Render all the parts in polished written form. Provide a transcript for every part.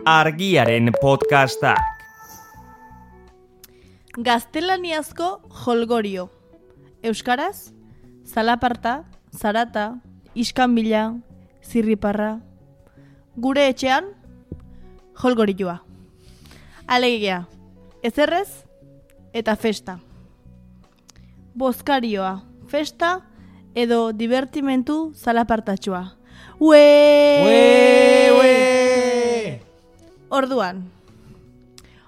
Argiaren podcastak. Gaztelaniazko jolgorio. Euskaraz, zalaparta, zarata, iskanbila, zirriparra. Gure etxean, jolgorioa. Alegia, ezerrez eta festa. Bozkarioa, festa edo divertimentu zalapartatxua. Orduan,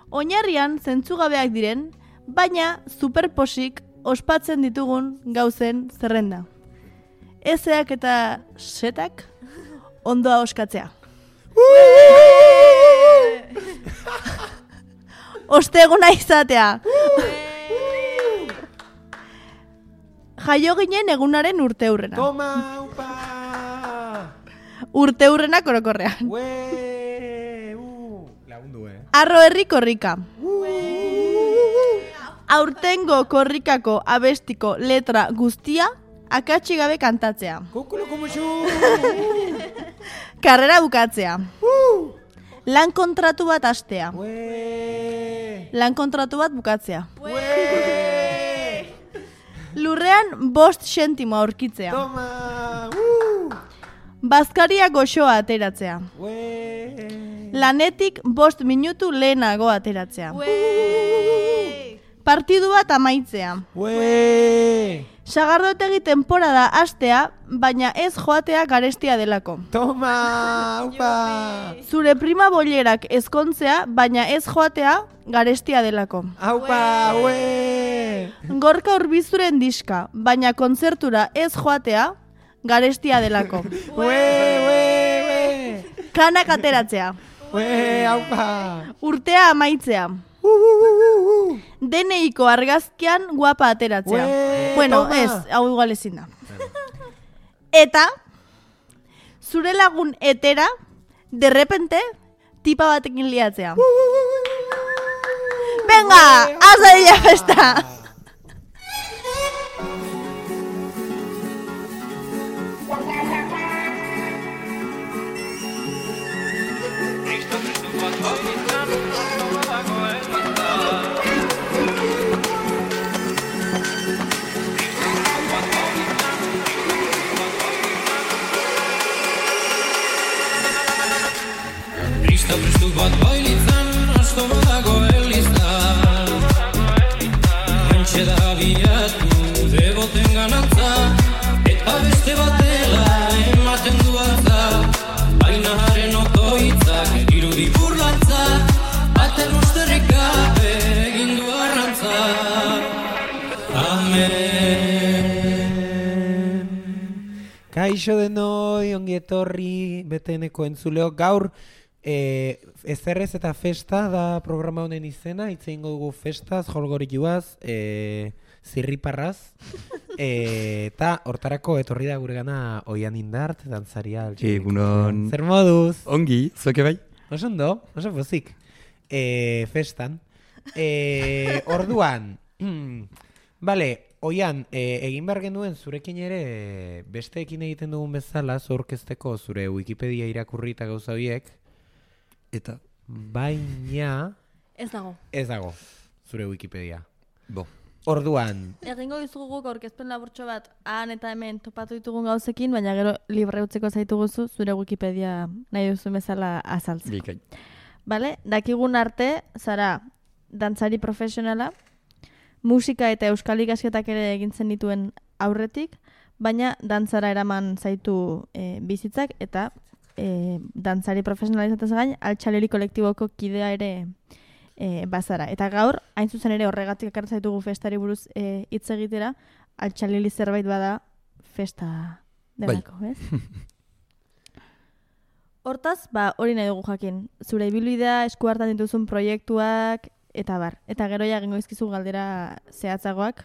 oinarrian zentzugabeak diren, baina superposik ospatzen ditugun gauzen zerrenda. Ezeak eta setak ondoa oskatzea. Osteguna izatea. Jaio ginen egunaren urteurrena. Toma, upa! Urteurrena korokorrean. Lagundu, Arro herri korrika. Aurtengo korrikako abestiko letra guztia akatsi gabe kantatzea. Kukulo kumuxu! Karrera bukatzea. Lan kontratu bat hastea. Lan kontratu bat bukatzea. Lurrean 5 zentimo aurkitzea. Toma! Bazkaria goxoa ateratzea. Lanetik 5 minutu lehenago ateratzea. Partidu bat amaitzea. Sagardotegi temporada hastea, baina ez joatea garestia delako. Toma, upa! Zure prima bollerak ezkontzea, baina ez joatea garestia delako. Aupa, Gorka Urbizuren diska, baina kontzertura ez joatea garestia delako. Kanak ateratzea. Aupa! Urtea amaitzea. DNIko argazkian guapa ateratzea. Bueno, toma. ez, hau igual ezin da. Eta, zure lagun etera, derrepente, tipa batekin liatzea. Venga, haz dira festa! Kristu bat bailitzan, asto badago elizan. Antxe da abiatu, deboten ganantza, eta beste batela ematen du altza. Baina haren otoitzak irudi burlantza, baten usterrik gabe egin du arrantza. Amen. Kaixo denoi, ongi etorri, beteneko entzuleo gaur. Ezerrez eta festa da programa honen izena, hitz egingo dugu festaz, jolgorioaz, zirriparraz, eta hortarako etorri da gure gana Oian Indart, dantzaria. Egunon. Zer moduz? Ongi, zueke bai? Oso ondo, oso pozik. Festan. Orduan, bale, Oian, egin behar genuen zurekin ere besteekin egiten dugun bezala, zorkezteko zure Wikipedia irakurri eta gauza horiek, Eta? baina... Ez dago. Ez dago, zure Wikipedia. Bo. Orduan... Egingo dizugu aurkezpen laburtxo bat han eta hemen topatu ditugun gauzekin, baina gero libre utzeko zaituguzu zure Wikipedia nahi duzu bezala azaltzeko. Bikai. Bale? Dakigun arte, zara dantzari profesionala, musika eta euskal ikasketak ere egintzen dituen aurretik, baina dantzara eraman zaitu bizitzak eta dantzari profesionala izatez gain, altxaleri kolektiboko kidea ere bazara. Eta gaur, hain zuzen ere horregatik ekartzen zaitugu festari buruz hitz egitera, altxaleri zerbait bada festa delako, ez? Hortaz, hori nahi dugu jakin. Zure ibilbidea, esku hartan dituzun proiektuak, eta bar. Eta gero ja egingo izkizu galdera zehatzagoak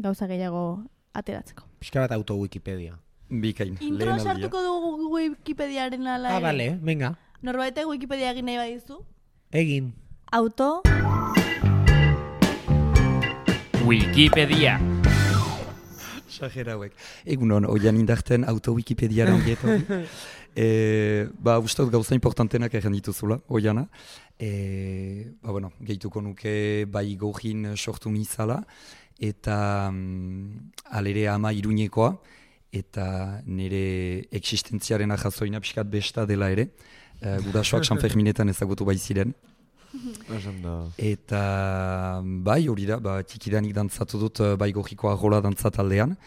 gauza gehiago ateratzeko. Pixka bat auto Wikipedia. Bikain. Intro sartuko dugu Wikipediaren ala. Bale, venga. Norbaitek Wikipedia egin nahi badizu? Egin. Auto. Wikipedia. Sajera hauek. Egunon, Oian Indarten auto-Wikipediaren dieto. Uste dut gauza importantenak egin dituzula, oiana. Gehituko nuke bai gojin sortu nizala, eta alere ama Iruñekoa, eta nire existentziaren ahazoina pixkat besta dela ere. Gurasoak San Ferminetan ezagutu bai ziren. Eta bai hori da, tikidanik dantzatu dut bai gojiko arrola dantzataldean,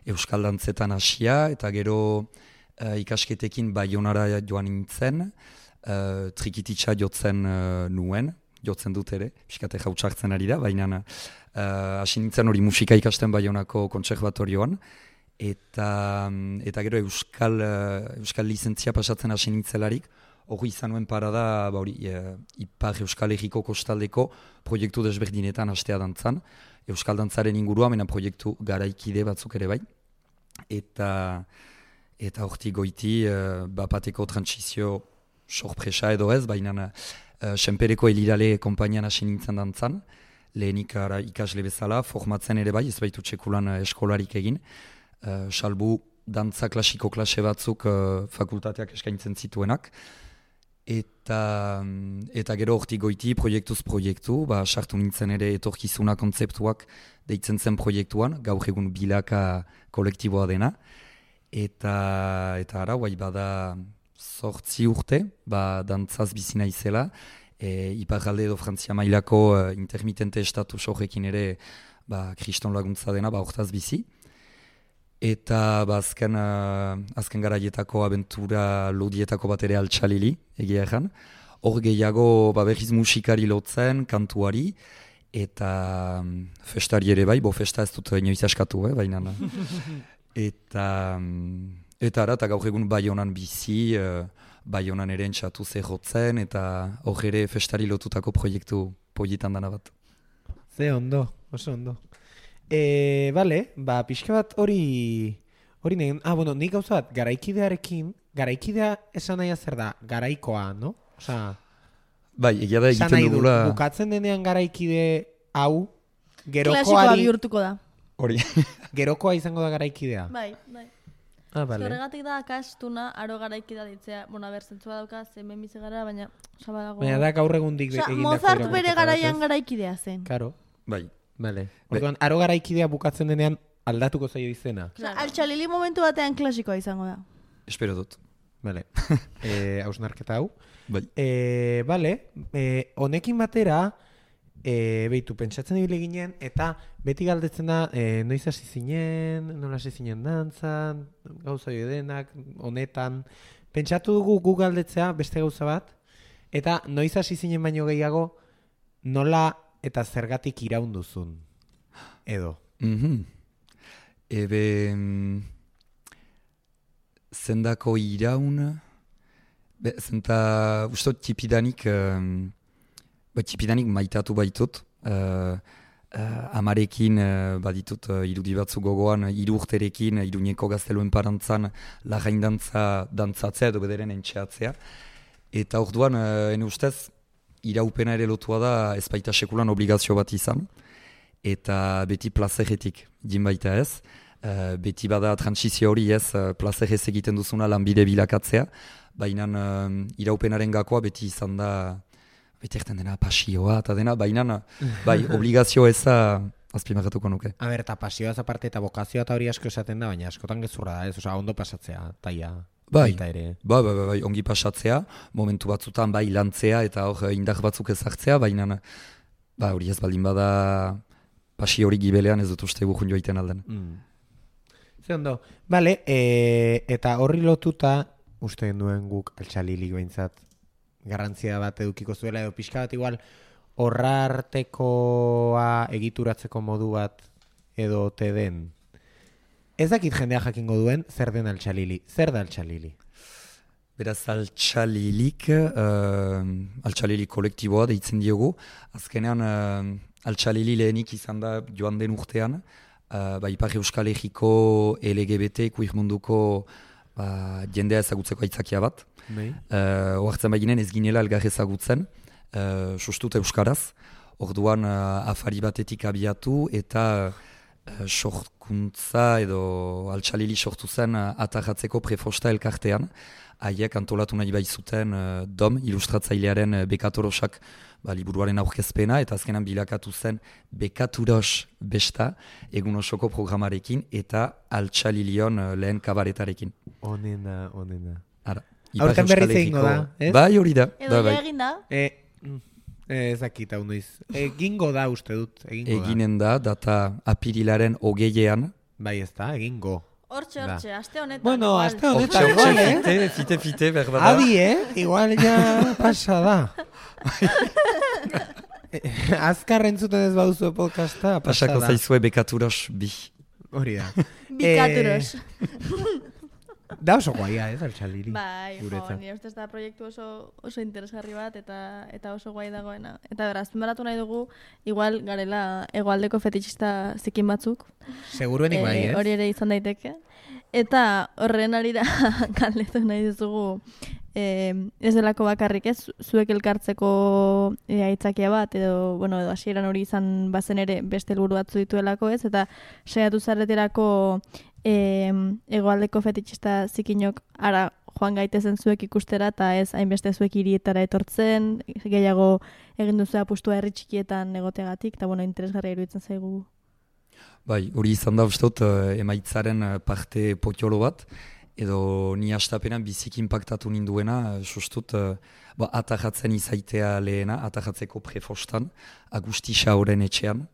euskal dantzetan hasia, eta gero ikasketekin Baionara joan nintzen, trikititsa jotzen jotzen dut ere, pixkate jautxartzen ari da, baina hasi nintzen hori musika ikasten Baionako kontserbatorioan, eta gero euskal lizentzia pasatzen hasi nintzelarik, hori izan nuen parada Ipar Euskal Herriko kostaldeko proiektu desberdinetan hastea dantzan, euskal dantzaren ingurua, mena proiektu garaikide batzuk ere bai, eta hortik goiti bapateko transizio sorpresa edo ez, baina Senpereko Elirale konpainian hasi nintzen dantzan, lehenik ikasle bezala, formatzen ere bai, ez baitu txekulan eskolarik egin, salbu dantza klasiko klase batzuk fakultateak eskaintzen zituenak, eta gero hortik goiti proiektuz proiektu, sartu nintzen ere etorkizuna kontzeptuak deitzen zen proiektuan, gaur egun bilaka kolektiboa dena, eta ara, bada 8 urte, dantzaz bizina izela, Iparralde edo Frantzia mailako intermitente estatus horrekin ere kriston laguntza dena, hortaz bizi. Eta azken garaietako abentura lodietako bat ere altxalili, egia egan. Hor gehiago berriz musikari lotzen, kantuari, eta festari ere bai, festa ez dut inoiz askatu, baina. Eta gaur egun Baionan bizi, Baionan ere entxatu zehotzen, eta hor ere festari lotutako proiektu polietan dana bat. Ze ondo, oso ondo. Pixka bat hori negin, nik gauza bat, garaikidea esan nahi zer da, garaikoa, no? Bai, egia da egiten dugula... Bukatzen denean garaikide hau, klasikoa bihurtuko da. Hori. Gerokoa izango da garaikidea. Bai. Horregatik da, akastuna, aro garaikidea ditzea, zentzua dauka, hemen bizi gara, baina... Baina da gaur egundik egindako... Mozart bere garaian garaikidea zen. Karo. Bai. Orduan, aro garaikidea bukatzen denean aldatuko zaio izena. Altxalili momentu batean klasikoa izango da. Espero dut. Hausnarketa hau. Bai. Honekin batera, pentsatzen ibile ginen, eta beti galdetzen da, noiz hasi zinen, nola hasi zinen dantzan, gauza jodenak, honetan. Pentsatu dugu gu galdetzea, beste gauza bat, eta noiz hasi zinen baino gehiago, nola eta zergatik iraun duzun, edo. Zendako iraun, zenta ustot tipidanik maitatu baitut, amarekin baditut irudi batzu gogoan, 3 urterekin, Iruñeko gazteluen parantzan lagaindantza dantzatzea edo bederen entxeatzea. Eta orduan, ene ustez, iraupena ere lotua da ez baita sekulan obligazio bat izan, eta beti plazeretik din baita ez, beti bada transizio hori ez, plazerez egiten duzuna lanbide bilakatzea, baina iraupenaren gakoa beti izan da, beti erten dena pasioa eta dena, baina bai, obligazio eza azpimarratuko nuke. Eta pasioa aparte eta bokazioa eta hori asko esaten da, baina askotan gezurra da ez, ondo pasatzea, taia. Bai, ongi pasatzea, momentu batzutan bai lantzea eta hor indar batzuk ezartzea, baina hori ez baldin bada pasio hori gibelean ez dut uste gujun joiten alden. Ze ondo, eta horri lotuta, uste duen guk altxalilik behintzat garrantzia bat edukiko zuela, edo pixka bat igual horrartekoa egituratzeko modu bat edo te den. Ez dakit jendea jakingo duen, zer den altxalili? Zer da altxalili? Beraz, altxalilik kolektiboa deitzen diogu. Azkenean, altxalili lehenik izan da joan den urtean, Ipar Euskal Herriko LGBT kuir munduko jendea ezagutzeko aitzakia bat. Oartzen baginen ez ginela elgar ezagutzen, sustut euskaraz. Orduan afari batetik abiatu eta sorkuntza edo altxalili sortu zen atajatzeko prefosta elkartean. Haiek antolatu nahi bai zuten DOM, ilustratzailearen Bekatorosak liburuaren aurkezpena, eta azkenan bilakatu zen Bekaturos besta, egun osoko programarekin, eta altxalilion lehen kabaretarekin. Onena. Ara, Aurten berriz egingo da, ez? Bai, hori da. Edo bai. ja egin da? Ezakit hau noiz. Egingo da uste dut, Eginen da, data apirilaren 20ean. Bai ez da, egingo. Hortxe, aste honetan. Bueno, igual. aste honetan igual, Fite, berbada. Adi, igual ja pasa da. Azkar entzuten ez bauzu podcasta, pasa da. Pasako zaizue Bekaturos bi. Hori da. Bikaturos. Da oso guaia, ez, altxaliri. Bai, nire ustez da proiektu oso interesgarri bat eta oso guai dagoena. Eta beraz, azpimarratu nahi dugu, igual garela hegoaldeko fetixista zikin batzuk. Seguruenik bai, ez? Hori ere izan daiteke. Eta horren arira galdetu nahi dizugu, ez delako bakarrik ez, zuek elkartzeko aitzakia bat, edo hasieran hori izan bazen ere beste helburu batzu dituelako ez, eta saiatu zareterako hegoaldeko fetixista zikinok ara joan gaitezen zuek ikustera, eta ez hainbeste zuek hirietara etortzen, gehiago egin duzu apustua herri txikietan egoteagatik, eta interesgarria iruditzen zaigu. Bai, hori izan da uste dut emaitzaren parte potolo bat, edo ni hastapenan biziki impactatu ninduena, sustut atajatzen izaitea lehena, atajatzeko prefostan, Agusti Xaoren etxean,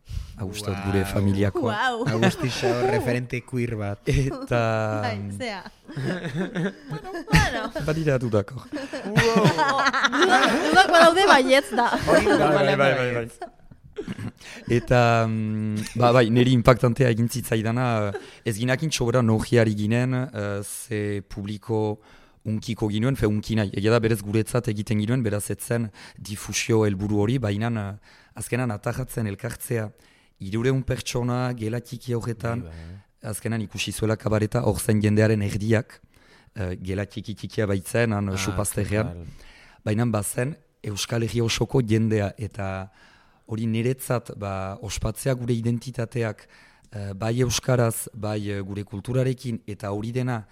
uste dut gure familiakoa. Wow. Agusti Xaor referente queer bat. Eta... Bai, zea. Bueno. Badira dudakor. Dudak badaude baietz da. Bai. Eta, bai, niri impactantea egin zitzaidana, ez ginakin txobera nohiari ginen, ze publiko unkiko ginuen, unki nahi. Egia da berez guretzat egiten ginuen, beraz etzen difusio helburu hori, baina azkenan atajatzen elkartzea 300 pertsona, gelatiki horretan, azkenan ikusi zuela kabareta hor zen jendearen erdiak, gelatiki baitzen, supazterrean, baina bazen Euskal Herri osoko jendea, eta hori niretzat ospatzea gure identitateak bai euskaraz, bai gure kulturarekin, eta hori dena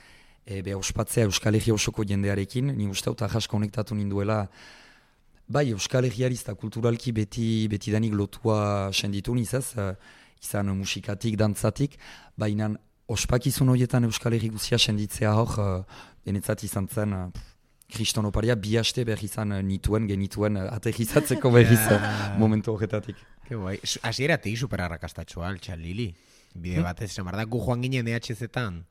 ospatzea Euskal Herri osoko jendearekin, ni uste dut ahas konektatu ninduela, bai Euskal Herriariz eta kulturalki beti danik lotua senditu nizaz, izan musikatik, dantzatik, baina ospakizun horietan Euskal Herri guzia senditzea hor, denetzat izan zen, Kriston oparia bi haste behar izan genituen aterrizatzeko berriz momentu horretatik. Que guai. Hasieratik superarrakastatxoa, altxalili. Bide batez, esan da, gu joan ginen EHZ-etan.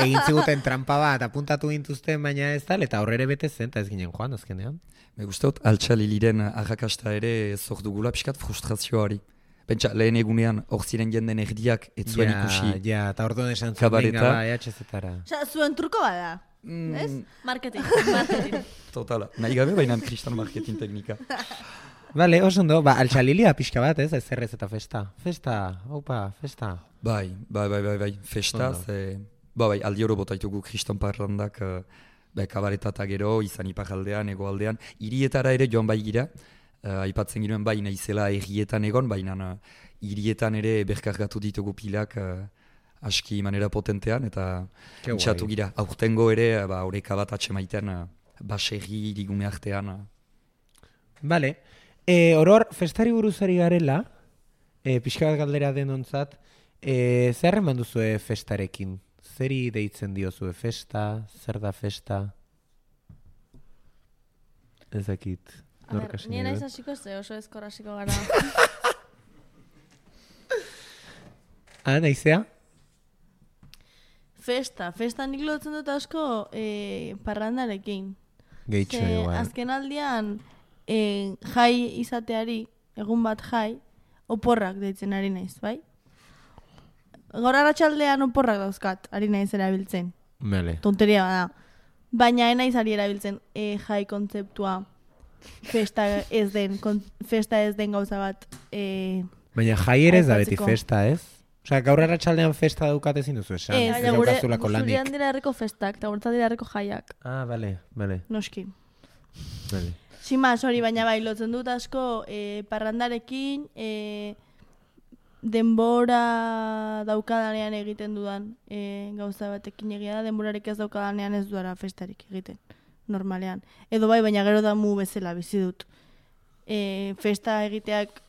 Egin ziguten trampa bat, apuntatu gintuzten, baina ez tal, eta horrere bete zen, eta ez ginen joan, azkenean. Me guztot, altxaliliren arrakasta ere zor dugula pixkat frustrazioari. Pentsa, lehen egunean hor ziren jenden erdiak ez zuen ikusi. Ja, eta orduan esan zuen benga EHZ-etara. Osa, zuen turko bada. Ez? Marketing. Totala. Nahi gabe, baina kristal marketing teknika. Bale, oso ondo, altxalilia pixka bat, ez? Ezerrez eta festa. Festa, festa. Bai, festa, bai, aldi oro botaitugu kriston parrandak, kabareta eta gero, izan iparaldean, egoaldean, hirietara ere joan bai gira, aipatzen ginoen bai naizela herrietan egon, baina hirietan ere berkargatu ditugu pilak, aski manera potentean, eta intxatu gira. Aurtengo ere, horeka bat atxemaiten, baserri ligune artean. Bale. Oror, festari buruzari garela, pixka bat galdera denontzat, zer eman duzue festarekin? Zeri deitzen diozue festa? Zer da festa? Ezakit. Nien aiz hasiko ze, oso ezkor hasiko gara. Naizea? Festa nik lotzen dut asko parrandarekin. Gehitxo igual. Azken aldian jai izateari, egun bat jai, oporrak deitzen ari naiz, bai? Gaur arratsaldean oporrak dauzkat, ari naiz erabiltzen. Bale. Tonteria bada. Baina naiz ari erabiltzen jai kontzeptua festa ez den gauza bat. Baina jai ere ez da beti festa, ez? Osea, gaur arratsaldean festa daukat ezin duzu esan. Ez daukazulako lanik. Zurian dira herriko festak, eta guretzat dira herriko jaiak. Bale. Noski. Bale. Simaz hori, baina bai, lotzen dut asko parrandarekin, denbora daukadanean egiten dudan gauza batekin egia da, denborarik ez daukadanean ez duara festarik egiten, normalean. Edo bai, baina gero da mu bezala bizi dut. Festa egiteak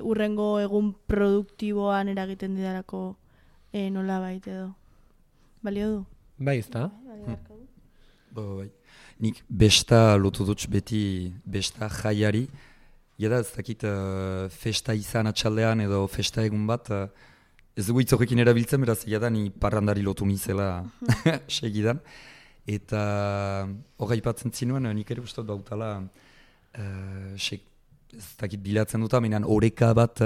urrengo egun produktiboan eragiten didalako nola baita edo. Balio du? Bai, ez da? Bai. Nik besta lotu dut beti besta jaiari. Jada ez dakit festa izan atxaldean edo festa egun bat, ez dugu hitz horrekin erabiltzen, beraz jada ni parrandari lotu nizela segidan. Eta hori aipatzen zinuen, nik ere uste bautala, ez dakit bilatzen dut, menan oreka bat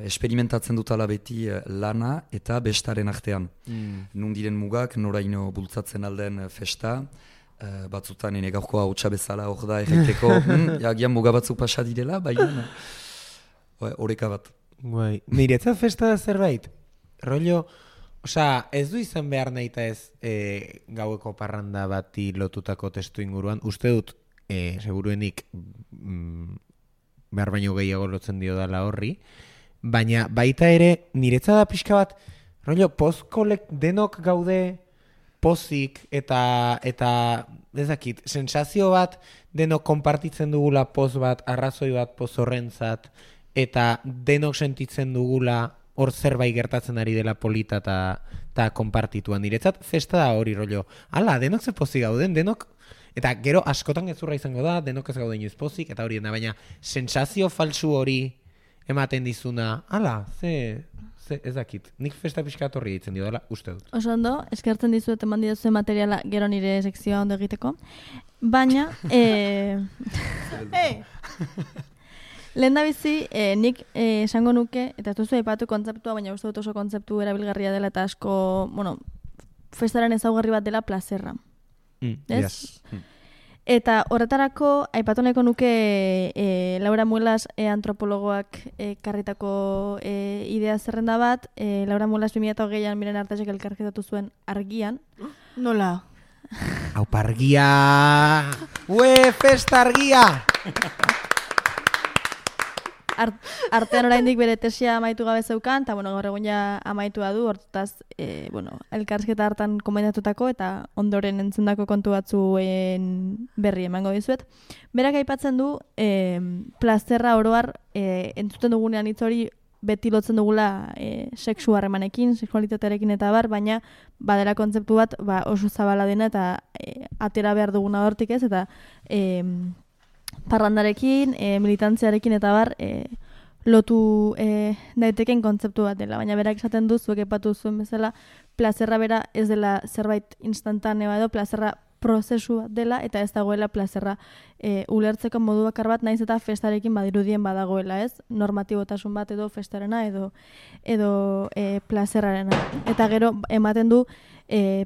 experimentatzen dutala beti lana eta bestaren artean. Nundiren mugak, noraino bultzatzen alden festa, batzutan ene gaurkoa hautsa bezala hor da erreteko, agian muga batzuk pasa direla, baina oreka bat. Bai. Niretzat festa da zerbait, rollo, ez du izan behar nahi eta ez gaueko parranda bati lotutako testu inguruan, uste dut, seguruenik behar baino gehiago lotzen dio dala horri, baina baita ere niretzat da pixka bat, rollo, post-kolek denok gaude pozik eta ez dakit, sensazio bat denok konpartitzen dugula poz bat, arrazoi bat poz horrentzat, eta denok sentitzen dugula hor zerbait gertatzen ari dela polita eta konpartituan. Niretzat festa da hori rollo. Hala, denok ze pozik gauden, denok, eta gero askotan gezurra izango da, denok ez gauden inoiz pozik, eta hori dena, baina sensazio falsu hori ematen dizuna, hala, ze ez dakit. Nik festa pixka horri ditzen dio dela, uste dut. Oso ondo, eskertzen dizuet eman didazuen materiala gero nire sekzioa ondo egiteko. Baina, lehen da bizi, nik esango nuke, eta ez duzu aipatu kontzeptua, baina uste dut oso kontzeptu erabilgarria dela eta asko, festaren ezaugarri bat dela plazerra. Yes. Eta horretarako, aipatu nahiko nuke Laura Muelas antropologoak karritako idea zerrenda bat. Laura Muelas 2008an Miren Artasek elkarrizketatu zuen argian. Nola? Aupa argia! Ue, festa argia! Artean oraindik bere tesia amaitu gabe zeukan, eta gaur egun ja amaitua du, hortaz, elkarrizketa hartan komentatutako eta ondoren entzundako kontu batzuen berri emango dizuet. Berak aipatzen du, plazerra oroar, entzuten dugunean hitz hori beti lotzen dugula sexu harremanekin, sexualitatearekin eta baina badela kontzeptu bat oso zabala dena eta atera behar duguna hortik ez, eta parrandarekin, militantziarekin eta lotu daiteken kontzeptu bat dela. Baina berak esaten du, zuek epatu zuen bezala, plazerra bera ez dela zerbait instantanea edo plazerra prozesu bat dela, eta ez dagoela plazerra ulertzeko modu bakar bat, naiz eta festarekin badirudien badagoela, ez? Normatibotasun bat edo festarena edo plazerrarena. Eta gero ematen du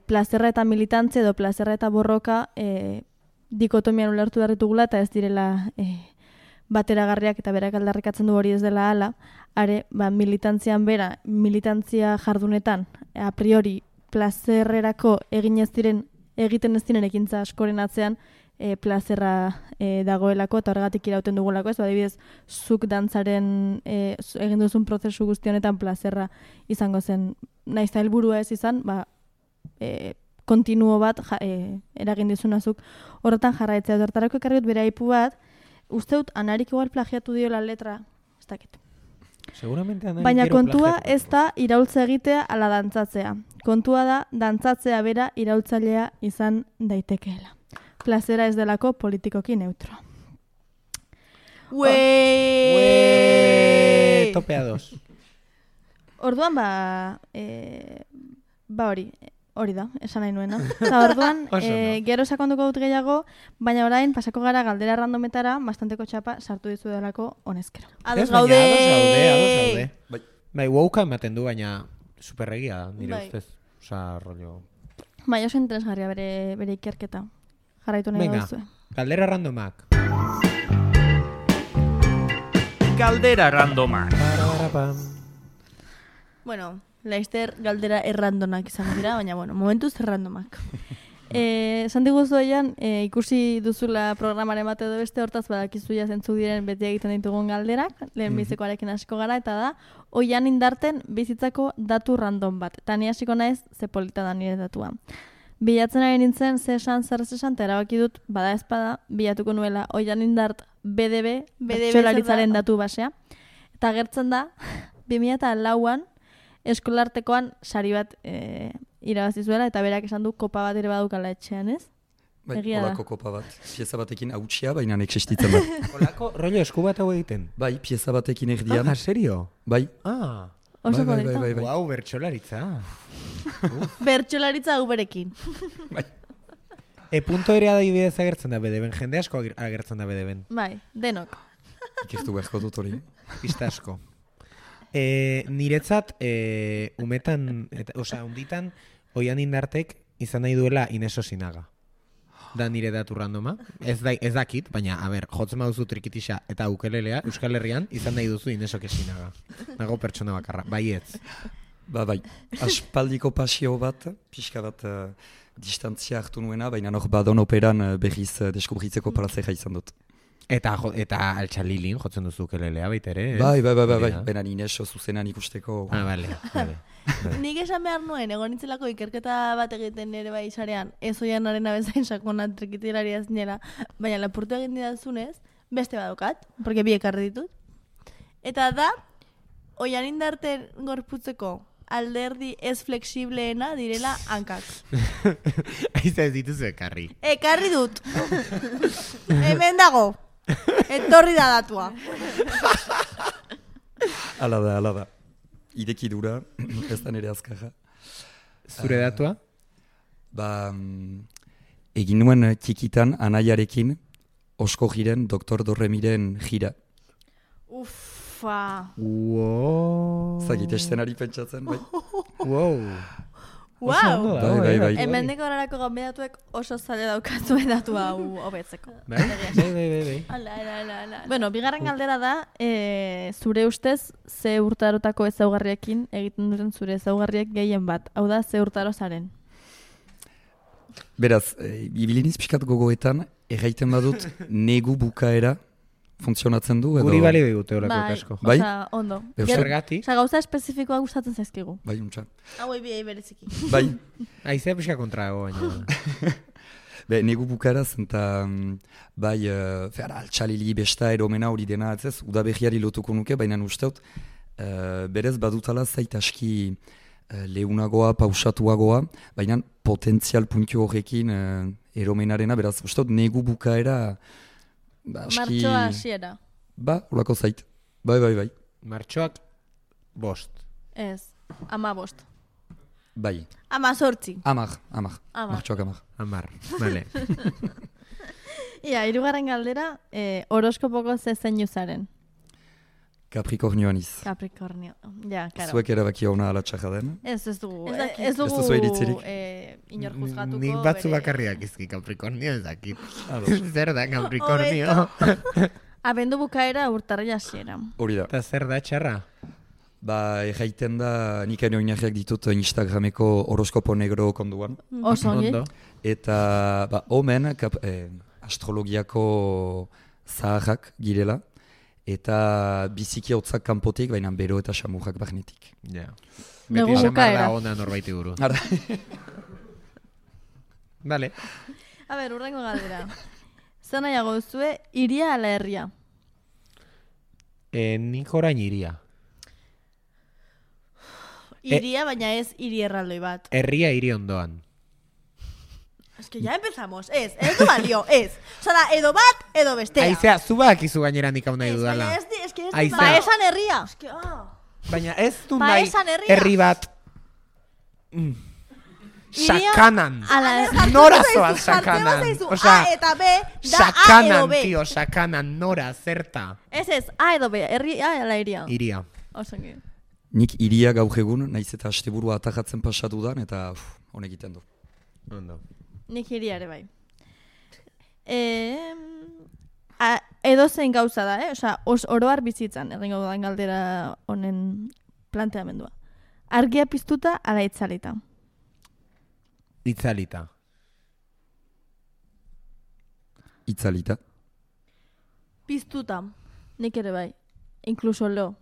plazerra eta militantzia edo plazerra eta borroka dikotomian ulertu darritugula eta ez direla bateragarriak eta berak aldarrikatzen du hori ez dela hala, are, militantzia jardunetan a priori plazerrerako egiten ez diren ekintza askoren atzean plazerra dagoelako eta horregatik irauten dugulako, ez adibidez zuk dantzaren egin duzun prozesu guzti honetan plazerra izango zen, naiz helburua ez izan, kontinuo bat eragin dizunazuk horretan jarraitzea. Hortarako ekarri dut bere aipu bat, uste dut Anarik igual plagiatu diola letra, ez dakit. Seguramente Anarik baina gero kontua plagiatu. ez da iraultza egitea ala dantzatzea. Kontua da dantzatzea bera iraultzailea izan daitekeela. Plazera ez delako politikoki neutro. Topea dos. Orduan hori da, esan nahi nuena. Eta orduan, gero sakonduko dut gehiago, baina orain pasako gara galdera randometara, bastanteko txapa sartu dizu delako honezkero. Ados gaude! Ados gaude. Bai, wauka ematen du, baina superregia da, nire ustez. Osa, rollo... Bai, oso interesgarria bere ikerketa. Jarraitu nahi gauzue. Galdera randomak. Galdera randomak. Bueno... Laizter galdera errandonak izan dira, baina momentuz errandomak. Esan diguzu ikusi duzula programaren bat edo beste, hortaz badakizu ja zentzuk diren beti egiten ditugun galderak, lehen bizekoarekin hasiko gara, eta da, Oian Indarten bizitzako datu random bat. Eta ni hasiko naiz, ze polita da nire datua. Bilatzen ari nintzen, zer esan, eta erabaki dut, bada ezpada, bilatuko nuela Oian Indart BDB, bertsolaritzaren datu basea. Eta gertzen da, 2004an, eskolartekoan sari bat irabazi zuela, eta berak esan du kopa bat ere badukala etxean, ez? Bai, Egia da. olako kopa bat. Pieza batekin hautsia, baina existitzen da. Olako rollo esku bat hau egiten? Bai, pieza batekin erdian. Ah, serio? Bai. Ah, Oso Bai. polita. guau, bertsolaritza. Bertsolaritza uberekin. Punto ere adibidez agertzen da bedeben, jende asko agertzen da bedeben. Bai, denok. Ikertu beharko dut hori. Pista asko. Niretzat, umetan, unditan, Oian Indartek izan nahi duela Ineso Sinaga. Da nire datu randoma. Ez dakit, baina, jotzen baduzu trikitisa eta ukelelea, Euskal Herrian, izan nahi duzu Ineso Sinaga. Nago pertsona bakarra, baietz. Bai. Aspaldiko pasio bat, pixka bat distantzia hartu nuena, baina hor badon operan berriz deskubritzeko plazera izan dut. Eta altxalilin jotzen duzu ukelelea baita ere. Bai. Baina Ineso zuzenan ikusteko. Ah, bale. Nik esan behar nuen, egon nintzelako ikerketa bat egiten ere bai sarean, ez Oianaren abezain sakona trikitilaria zinela, baina lapurtu egin didazunez, beste badokat, porque bi ekarri ditut. Eta da, Oian Indarten gorputzeko alderdi ez flexibleena direla hankak. Aiza ez dituzu ekarri. Ekarri dut. Hemen dago. Etorri da datua. Hala da. Idekidura, ez da nire azkarra. Zure datua? Egin nuen txikitan anaiarekin osko jiren Dr. Dorremiren jira. Ufa. Wow. Zagit estenari pentsatzen, bai. Wow. Wow. Bai. Hemendik horarako gonbidatuek oso zale daukazue datu hau hobetzeko. Bai. Ala. Bueno, bigarren galdera da, zure ustez, ze urtarotako ezaugarriekin egiten duten zure ezaugarriek gehien bat. Hau da, ze urtaro zaren. Beraz, ibiliniz pixkat gogoetan, erraiten badut negu bukaera funtzionatzen du edo... Guri bali digute horako kasko. Bai? Osa, ondo. Zergatik? Osa, gauza espezifikoa gustatzen zaizkigu. Bai, untxa. Hauei biei bereziki. Bai. Aizea pixka kontrago, baina... Negu bukaera zen eta bai, altxalili besta eromena hori dena, ez, udaberriari lotuko nuke, baina usteut, berez badutala zait aski leunagoa, pausatuagoa, baina potentzial puntio horrekin eromenarena, beraz, usteut, negu bukaera... Martxoa hasiera. Olako zait. Bai. Martxoak 5. Ez, 15. Bai. 18. 10. Martxoak 10. 10, bale. Ia, hirugarren galdera, horoskopoko ze zeinu zaren? Capricornioan iz. Capricornio. Ja, karo. Zuek erabaki hona ala txarra den? Ez dugu. Ez duzu eritzirik? Inor juzgatuko. Nik batzu bakarriak izki Capricornio ez dakit. Zer da Capricornio? Abendu bukaera urtarrila hasiera. Hori da. Eta zer da txarra? Erraiten da, nik ene oinarriak ditut Instagrameko horoskopo negro konduan. Oso ongi. Eta, omen, astrologiako zaharrak girela. Eta biziki hotzak kanpotik, baina bero eta xamurrak barnetik. Ja. Negu Beti bukaera. da ona norbaiti buru. Ara. Vale. A ber, urrengo galdera. Zer nahiago duzue, iria ala herria? Nik orain iria. Iria, baina ez hiri erraldoi bat. Herria hiri ondoan. Es que ya empezamos, ez du balio, ez. Osa da, edo bat, edo bestea. Aizea, zu bakizu gainera nik hau nahi dudala. Ez que ez Aizea. ba esan herria. Baina ez du Ba nahi esan herria. herri bat... Sakanan. Ala, Nora zoaz sakanan. Osa, A eta B, da A edo sakanan, B. tio, sakanan, nora, zerta. Ez, A edo B, herria ala iria. Iria. Osongi. Nik iria gaur egun, naiz eta asteburua atajatzen pasatu dan, eta honek egiten du. Ondo. Nik iria ere bai. Edo zein gauza da, Osa, oroar bizitzan, egingo dudan galdera honen planteamendua. Argia piztuta ala itzalita? Itzalita. itzalita. Piztuta. Nik ere bai. Inkluso lo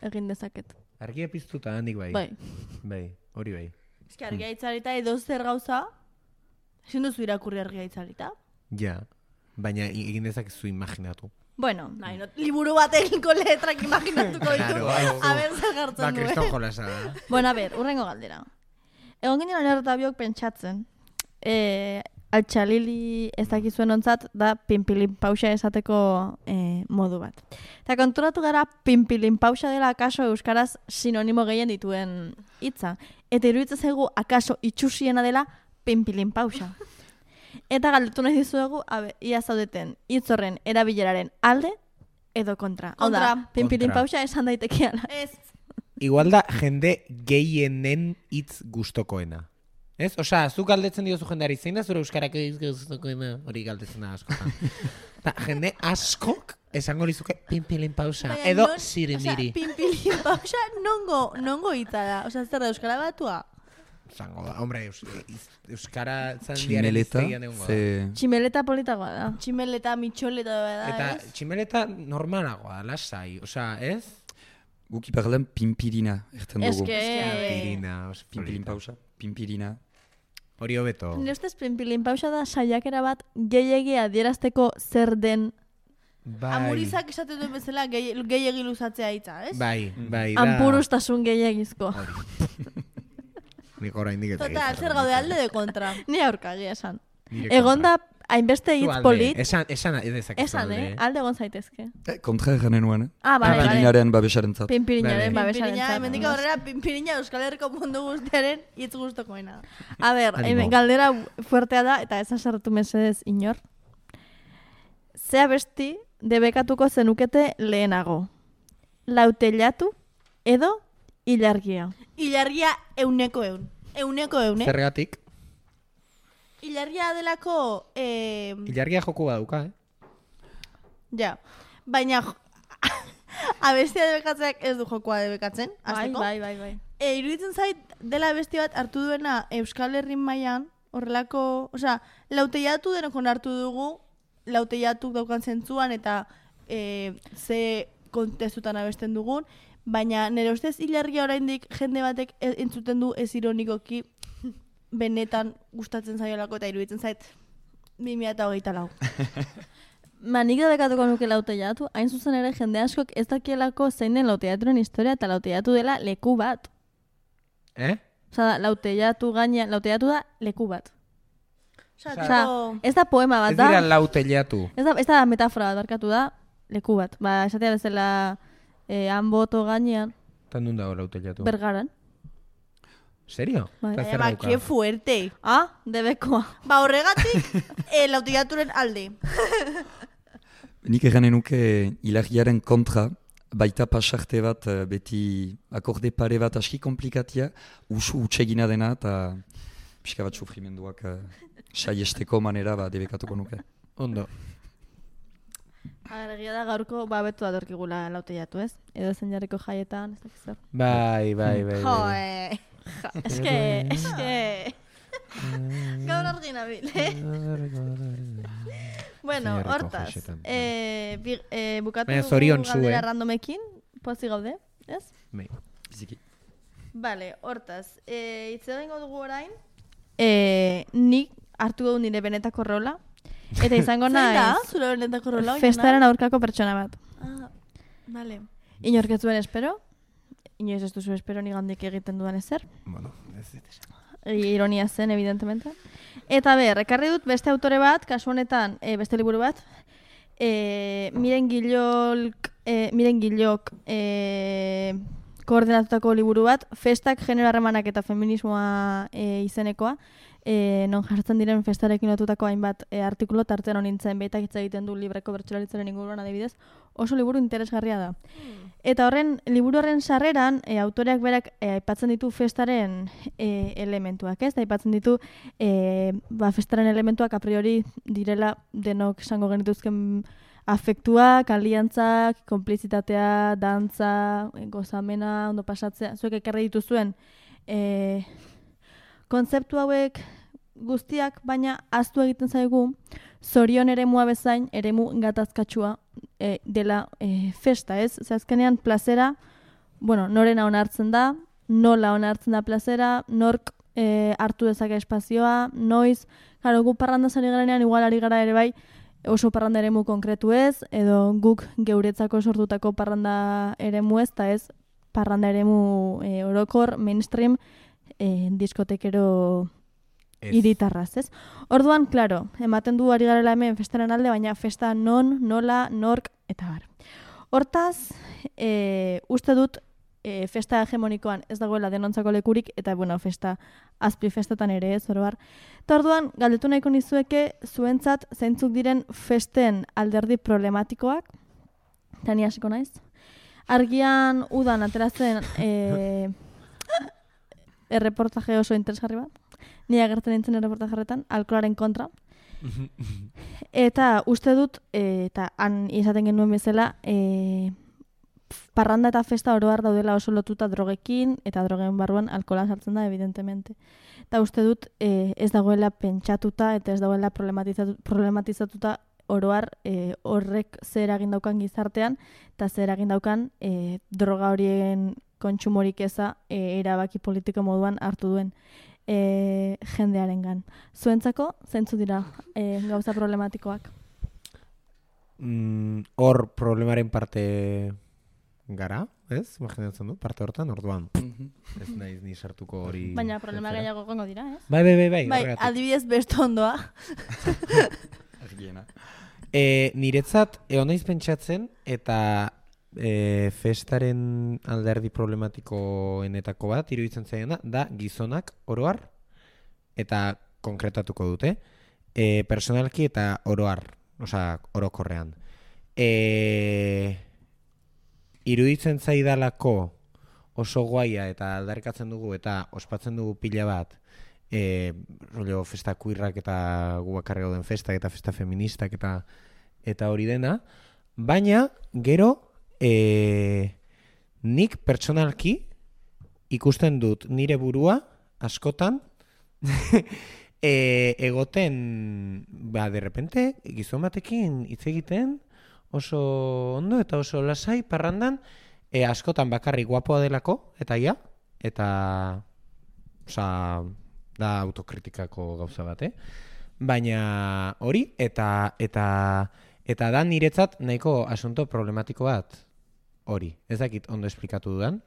egin dezaket. Argia piztuta handik bai. Bai. Hori bai. Eski argia itzalita edo zer gauza, ezin duzu irakurri argia itzalita. Ja, baina egin dezakezu imaginatu. Bueno, liburu batekinko letrak imaginatuko ditu. Claro. A ber, zer jartzen du, Kriston jolasa da. Bueno, a ber, urrengo galdera. Egon ginen onerretabiok pentsatzen, altxalili ez dakizuen ontzat da pinpilin pausa esateko modu bat. Eta konturatu gara pinpilin pausa dela akaso euskaraz sinonimo gehien dituen hitza. Eta iruditzen zaigu akaso itxusiena dela pinpilin pausa. Eta galdetu nahi dizuegu, ia zaudeten hitz horren erabileraren alde edo kontra. Hau da, pinpilin pausa esan daitekeala. Ez. Igual da jende gehienen hitz gustokoena. Ez? Osea, zuk galdetzen diozu jendeari, zein da zure euskarak gustokoena? Hori galdetzen da askotan. Jende askok esango lizuke pinpilin pausa. Edo sirimiri. Pinpilin pausa nongo hitza da. Osea, zer da euskara batua? Zango da, hombre, euskara Tximeleta, Tximeleta politagoa da. Tximeleta, mitxoleta da. Eta tximeleta normalagoa, lasai, osea, ez? Guk iparlen pimpirina erten dugu. Pimpilin pausa, pimpirina. Hori hobeto. Nire ustez pinpilin pausa da saiakera bat gehiegi adierazteko zer den. Amurizak esaten duen bezala gehiegi luzatzea hitza, ez? Bai. Anpurustasun gehiagizko. Nik oraindik eta total, zer gaude alde de kontra. Ni aurkagia esan. Egon da hainbeste hitz polit. Esan edezak. Esan, alde egon zaitezke. Kontra eganen nuen, Bale. Pimpirinaren babesarentzat. Pimpirinaren babesarentzat. Hemendik aurrera Pimpirina Euskal Herriko mundu guztiaren hitz gustokoena. A ber, galdera fuertea da, eta ez asartu mesedez inor. Zea besti debekatuko zenukete lehenago. Lautelatu edo ilargia. Ilargia euneko eun. Zergatik? Ilargia delako... Ilargia joku baduka, Ja. Baina abestia debekatzeak ez du jokoa debekatzen. Bai. Iruditzen zait dela abesti bat hartu duena Euskal Herrin mailan horrelako... Osea, lauteiatu denokon hartu dugu, lauteiatu daukan zentzuan eta ze kontestutan abesten dugun, baina nire ustez ilargia oraindik jende batek entzuten du ez ironikoki benetan gustatzen zaiolako eta iruditzen zait 2024. Nik debekatuko nuke lauteiatu, hain zuzen ere jende askok ez dakielako zein den lauteiaturen historia eta lauteiatu dela leku bat. Osa, lauteiatu da leku bat. Osa, ez da poema bat da. Ez dira lauteiatu. Ez da metafora bat barkatu da leku bat. Esatea bezala han boto gainean. Tan dun dago lauteiatu? Bergaran. Serio? Que fuerte. Debekoa. Horregatik, lauteiaturen alde. Nik eganen nuke ilargiaren kontra, baita pasarte bat beti akorde pare bat aski komplikatia, utsegina dena eta pixka bat sufrimenduak saiesteko manera debekatuko nuke. Ondo. Egia da gaurko betu datorkigula lauteiatu, ez? Edo zen jarriko jaietan, ez dakiz zer. Bai. Joe. Eske. Gaur argi nabil, Bueno, hortaz. Bukatu galdera randomekin, pozi gaude, ez? Bai. Biziki. Vale, hortaz. Itze dengo dugu orain. Nik hartu dugu nire benetako rola. Eta izango naiz. Zein da, zure benetako rola? Festaren aurkako pertsona bat. Vale. Inork ez duen espero. Inoiz ez duzu espero nigandik egiten dudan ezer. Bueno, ez dut. Ironia zen, evidentemente. Eta ekarri dut beste autore bat, kasu honetan beste liburu bat. Miren Gillok koordinatutako liburu bat, Festak, genero harremanak eta feminismoa izenekoa. Non jartzen diren festarekin lotutako hainbat artikulu tartean honintzen behitak hitz egiten du libreko bertsolaritzaren inguruan adibidez, oso liburu interesgarria da. Eta liburu horren sarreran, autoreak berak aipatzen ditu festaren elementuak, ez? Aipatzen ditu festaren elementuak a priori direla denok esango genituzken afektuak, aliantzak, konplizitatea, dantza, gozamena, ondo pasatzea, zuek ekarri dituzuen kontzeptu hauek guztiak, baina ahaztu egiten zaigu zorion eremua bezain, eremu gatazkatsua dela festa, ez? Ze azkenean plazera, bueno, norena onartzen da, nola onartzen da plazera, nork hartu dezake espazioa, noiz, claro, gu parranda zari garenean, igual ari gara ere bai, oso parranda eremu konkretu ez, edo guk geuretzako sortutako parranda eremu ez, eta ez parranda eremu orokor, mainstream, diskotekero hiritarraz, ez? Orduan, claro, ematen du ari garela hemen festaren alde, baina festa non, nola, nork, eta bar. Hortaz, uste dut, festa hegemonikoan ez dagoela denontzako lekurik, eta, bueno, festa azpi festetan ere ez, orobar. Eta orduan, galdetu nahiko nizueke, zuentzat zeintzuk diren festen alderdi problematikoak, eta ni hasiko naiz. Argian udan ateratzen erreportaje oso interesgarri bat. Ni agertzen nintzen erreportajeretan, alkoholaren kontra. Eta uste dut, eta han izaten genuen bezala, parranda eta festa oroar daudela oso lotuta drogekin, eta drogeen barruan alkohola sartzen da, evidentemente. Eta uste dut, ez dagoela pentsatuta, eta ez dagoela problematizatuta oroar horrek zer egin daukan gizartean, eta zer egin daukan droga horien kontsumorik eza erabaki politiko moduan hartu duen jendearengan. Zuentzako, zeintzu dira gauza problematikoak? Hor problemaren parte gara, ez? Imaginatzen du, parte hortan, orduan. Ez naiz ni sartuko hori... Baina problema gehiago gongo dira, ez? Bai, horregatik. Adibidez besto ondoa. Argiena. Niretzat, naiz pentsatzen, eta festaren alderdi problematikoenetako bat, iruditzen zaiena, da gizonak oroar, eta konkretatuko dute, personalki eta oroar, osea, orokorrean. Iruditzen zaidalako oso guaia eta aldarrikatzen dugu eta ospatzen dugu pila bat rollo festa kuirrak eta gu bakarri gauden festak eta festa feministak eta hori dena, baina gero nik pertsonalki ikusten dut nire burua askotan egoten de repente gizon batekin hitz egiten oso ondo eta oso lasai parrandan, askotan bakarrik guapoa delako, eta ia, eta da autokritikako gauza bat, baina hori, eta da niretzat nahiko asunto problematiko bat hori. Ez dakit ondo esplikatu dudan.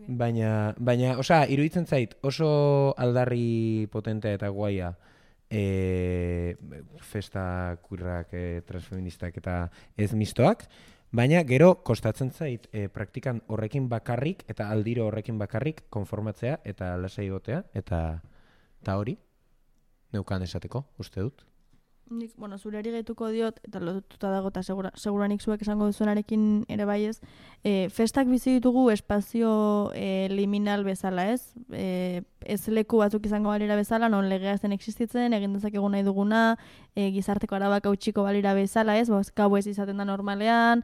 Baina, osea, iruditzen zait oso aldarri potentea eta guaia festa kuirrak, transfeministak eta ez mistoak, baina gero kostatzen zait praktikan horrekin bakarrik eta aldiro horrekin bakarrik konformatzea eta lasai egotea eta hori neukan esateko, uste dut. Nik, bueno, zureri gehituko diot, eta lotuta dago, eta seguranik zuek esango duzunarekin ere baiez, festak bizi ditugu espazio liminal bezala, ez? Ez leku batzuk izango balira bezala, non legea ez den existitzen, egin dezakegu nahi duguna, gizarteko arabak hautsiko balira bezala, ez? Gau ez izaten da normalean,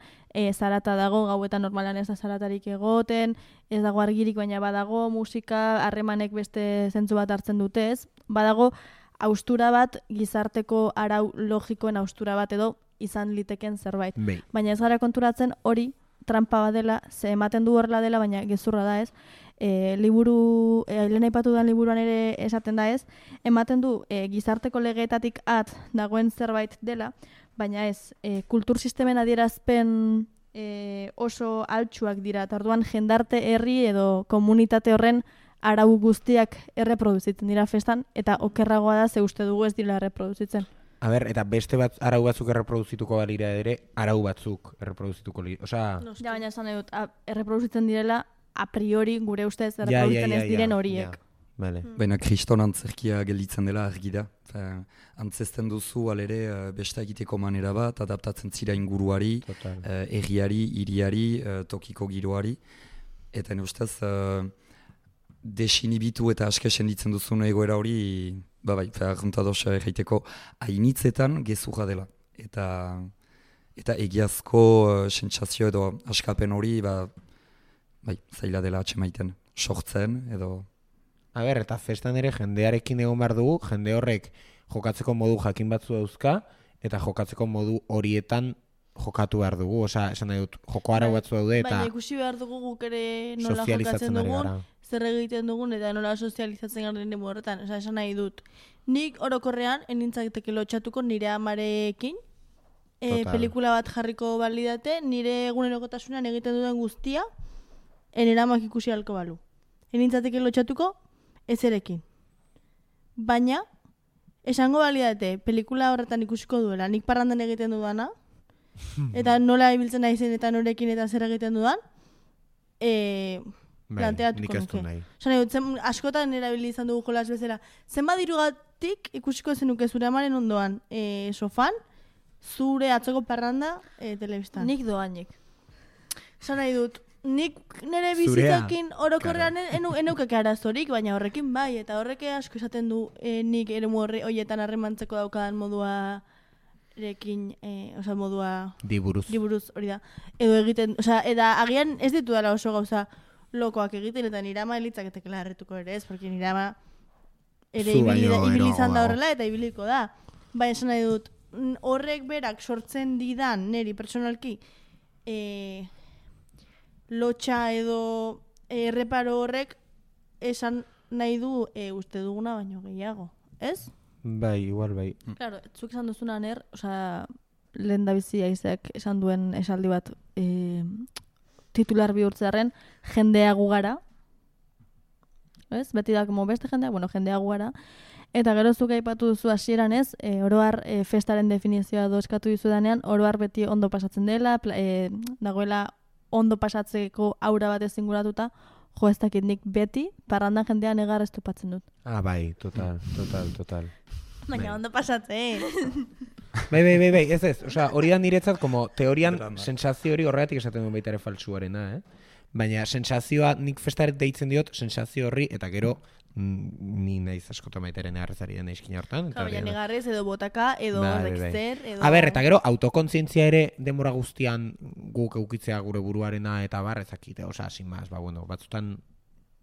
zarata dago, gauetan normalean ez da zaratarik egoten, ez dago argirik baina badago, musika, harremanek beste zentzu bat hartzen dute, ez? Badago, haustura bat, gizarteko arau logikoen haustura bat edo izan liteken zerbait. Baina ez gara konturatzen hori trampa bat dela, ze ematen du horrela dela, baina gezurra da ez. Lehen aipatu den liburuan ere esaten da ez, ematen du gizarteko legeetatik at dagoen zerbait dela, baina ez, kultur sistemen adierazpen oso altsuak dira, eta orduan jendarte herri edo komunitate horren arau guztiak erreproduzitzen dira festan, eta okerragoa da ze uste dugu ez dira erreproduzitzen. A ber, eta beste bat arau batzuk erreproduzituko balira ere, arau batzuk erreproduzituko lira. Osea... Ja, baina esan dut, erreproduzitzen direla a priori gure ustez erreproduzitzen ez diren horiek. Baina kriston antzerkia gelditzen dela argi da. Antzesten duzu alere besta egiteko manera bat, adaptatzen zira inguruari, erriari, hiriari, tokiko giroari. Eta ustez... desinibitu eta askesen ditzen duzun egoera hori, bai, juntadoz egiteko hainitzetan gezurra dela. Eta egiazko sentsazio edo askapen hori, bai, zaila dela atxemaiten, sortzen edo... A ber, eta festan ere jendearekin egon behar dugu, jende horrek jokatzeko modu jakin batzu dauzka, eta jokatzeko modu horietan jokatu behar dugu, osea, esan nahi dut, joko arau batzu daude, eta baina ikusi behar dugu guk ere nola jokatzen sozializatzen ari dugun, gara. zer egiten dugun, eta nola sozializatzen garen nire horretan. Osea, esan nahi dut, nik orokorrean, enintzateke lotxatuko nire amarekin, Total. pelikula bat jarriko balidate, nire egunerokotasunean egiten duen guztia, enera amak ikusi halko balu. Enintzateke lotxatuko, ezerekin. Baina, esango balidate, pelikula horretan ikusiko duela, nik parrandan egiten dudana, eta nola ibiltzen naizen eta norekin eta zer egiten dudan, planteatuko nik ez du nuke. nahi. Esan nahi dut, askotan erabili izan dugu jolas bezala. Zenbat dirugatik ikusiko zenuke zure amaren ondoan sofan, zure atzoko parranda telebistan. Nik doainik. Esan nahi dut, nik nire Zurea, bizitzekin orokorrean eneukeke arazorik, baina horrekin bai, eta horrek asko esaten du nik eremu horietan harremantzeko daukadan moduarekin, modua Diburuz. liburuz hori da. Edo egiten, eta agian ez ditu dela oso gauza lokoak egiten, eta nire ama elitzaketekela erretuko ere ez, porque nire ama ere Zu baino ibili izan da eroago. horrela eta ibiliko da. Baina esan nahi dut, horrek berak sortzen didan niri personalki lotxa edo erreparo horrek esan nahi du uste duguna baino gehiago, ez? Bai, igual bai. Claro, zuk esan duzuna lehen da bizi Aizek esan duen esaldi bat titular bihurtzearen jendea gu gara. Ez? Beti da, como beste jendea, jendea gu gara. Eta gero zuk aipatu duzu hasieran ez, oroar festaren definizioa eskatu dizudanean, oroar beti ondo pasatzen dela, dagoela ondo pasatzeko aura bat ezinguratuta, jo ez dakit nik beti, parrandan jendea negar ez topatzen dut. Ah, bai, total. Baina ondo pasatzen. Bai, ez, osea, hori da niretzat, como teorian, Drama. sensazio hori horregatik esaten duen baita ere faltsuarena, Baina sensazioa, nik festaret deitzen diot, sensazio horri, eta gero, ni naiz askotan baitaren errezari den eizkina hortan. Baina negarrez edo botaka, edo Bai. horrekzer, edo... A ber, eta gero, autokontzientzia ere denbora guztian guk eukitzea gure buruarena eta bar, ezakite, osea, sin más, batzutan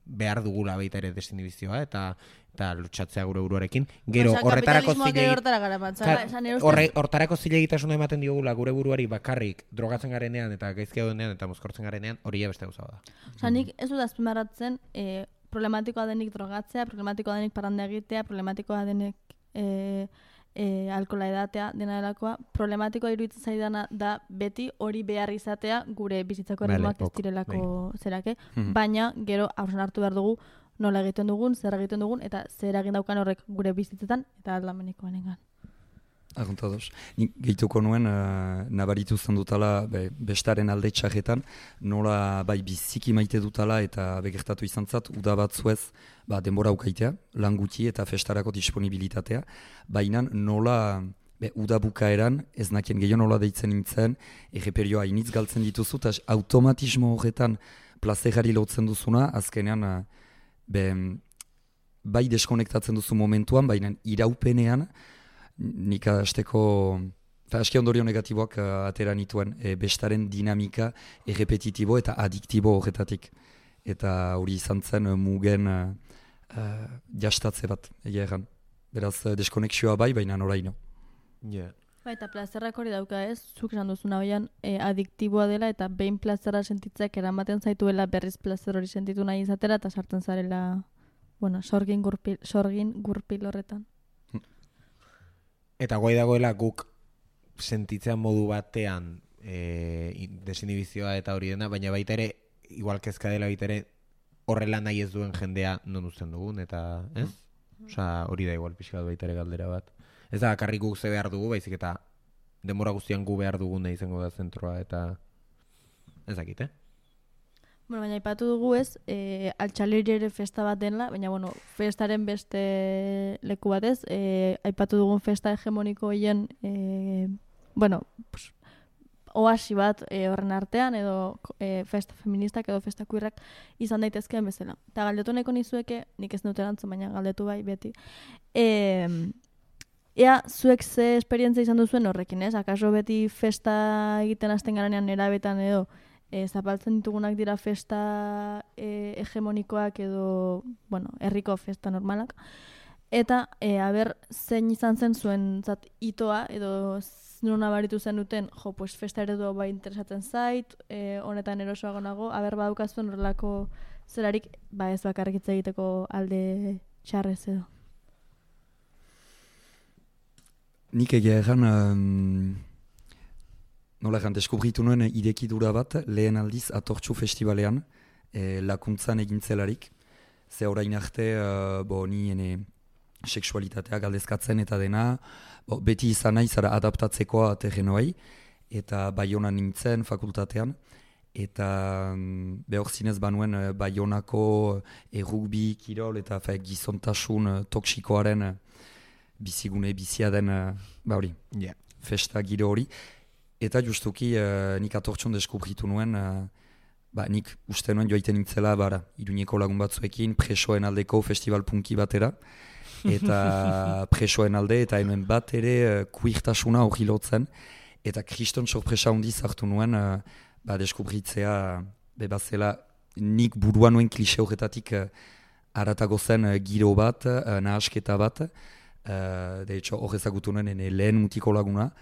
behar dugula baita ere desinhibizioa eta lutsatzea gure buruarekin. Gero, horretarako hortarako zilegitasuna ematen diogula gure buruari bakarrik drogatzen garenean eta gaizki daudenean eta mozkortzen garenean, hori ja beste gauza da. Osa, nik ez dut azpimarratzen problematikoa denik drogatzea, problematikoa denik parranda egitea, problematikoa denik alkola edatea dena delakoa, problematikoa iruditzen zaidana da beti hori behar izatea gure bizitzako erritmoak ez direlako zerake, baina gero haurzen hartu behar dugu nola egiten dugun, zer egiten dugun, eta zer egin daukan horrek gure bizitzetan eta aldamenikoenengan. Aguntados. Nik gehituko nuen, nabaritu zen dutala bestaren alde txarretan, nola bai biziki maite dutala eta begertatu izan zat, uda batzuez denbora ukaitea, lan guti eta festarako disponibilitatea, baina nola uda bukaeran, ez nakien gehiago nola deitzen nintzen, erreperioa initz galtzen dituzu, eta automatismo horretan plazerari lotzen duzuna, azkenean bai deskonektatzen duzu momentuan, baina iraupenean, nik azteko, aski ondorio negatiboak atera nituen, bestaren dinamika errepetitibo eta adiktibo horretatik. Eta hori izan zen mugen jastatze bat, egia erran. Beraz, deskonexioa bai, baina noraino. Yeah. Eta plazerrak hori dauka ez, zuk esan duzuna hoian adiktiboa dela eta behin plazerra sentitzek eramaten zaituela berriz plazer hori sentitu nahi izatera eta sartzen zarela, sorgin gurpil horretan. Eta guai dagoela guk sentitzen modu batean desinhibizioa eta hori dena, baina baita ere, igual kezka dela baita ere, horrela nahi ez duen jendea non uzten dugun, eta ez? Osa, hori da igual pixka baita ere galdera bat. Ez da, bakarrik guk ze behar dugu, baizik eta denbora guztian gu behar dugun nahi izango da zentroa, eta ez dakit, Baina aipatu dugu ez, altxaleri ere festa bat dela, baina festaren beste leku bat ez, aipatu dugun festa hegemoniko hien, oasi bat horren artean, edo festa feministak edo festa queerrak izan daitezkeen bezala. Eta galdetu nahiko nizueke, nik ez dut erantzun, baina galdetu bai beti. Ea, zuek ze esperientzia izan duzuen horrekin, ez? Akaso beti festa egiten hasten garanean erabetan edo, zapaltzen ditugunak dira festa hegemonikoak edo, herriko festa normalak. eta aber zein izan zen zuen itoa, edo non nabaritu zen duten, pues festa eredua bai interesatzen zait, honetan erosoago nago, aber badukazuen horrelako zerarik, ez bakarrik hitz egiteko alde txarrez edo. Nik egia erran, nola erran, deskubritu nuen idekidura bat, lehen aldiz Atortxu Festivalean, lakuntzan egintzelarik. Ze orain arte, ni ene seksualitatea galdezkatzen eta dena, beti izan nahi zara adaptatzekoa terrenoai, eta Baionan nintzen fakultatean, eta behor zinez banuen Baionako rugby, kirol eta gizontasun toksikoaren bizigune bizia den festa giro hori. Eta justuki nik Atortxon deskubritu nuen, nik uste nuen joaiten nintzela Iruñeko lagun batzuekin presoen aldeko festival punki batera, eta presoen alde eta enoen bat ere queertasuna hori lotzen, eta kriston sorpresa handiz hartu nuen deskubritzea bebazela nik burua nuen klixe horretatik haratago zen giro bat, nahasketa bat, de hecho hor ezagutu nuen lehen mutiko laguna,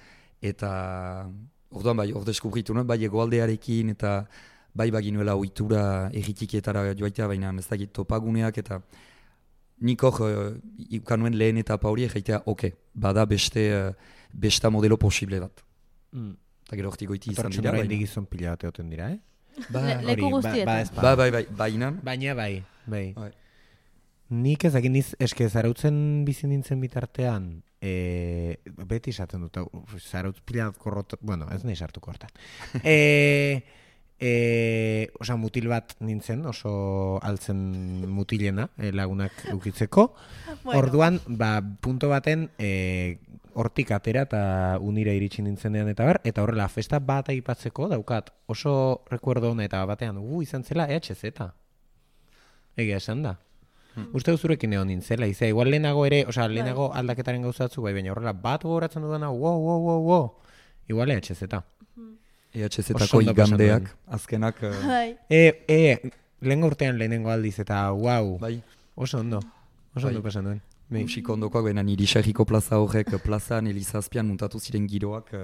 eta orduan hor deskubritu nuen egoaldearekin eta baginuela ohitura erritikietara joaitea, baina ez dakit topaguneak eta nik hor ikanuen lehen etapa hori egeitea, bada besta modelo posible bat. Eta gero hortik goiti izan dira. Tortxo gizon pila bat egoten dira, Leku guztietan. Baina bai. Nik ezakit eske zarautzen bizi nintzen bitartean, beti esaten dut, zarautz pila bat korrot, ez nahi sartuko hortan. Mutil bat nintzen, oso altzen mutilena lagunak ukitzeko. Orduan, punto baten hortik atera eta unira iritsi nintzenean eta horrela festa bat aipatzeko daukat oso rekuerdo hona eta batean izan zela EHZ. Egia esan da. Uste duzurekin egon nintzela, igual lehenago ere, lehenago aldaketaren gauzatzu, baina horrela bat gogoratzen dudana, igual EHZ. EHZ-tako igandeak, azkenak... Lehengo urtean lehenengo aldiz eta oso ondo pasan duen. Musiko ondokoak, baina niri Xerriko plaza horrek plazan Elizazpian muntatu ziren giroak,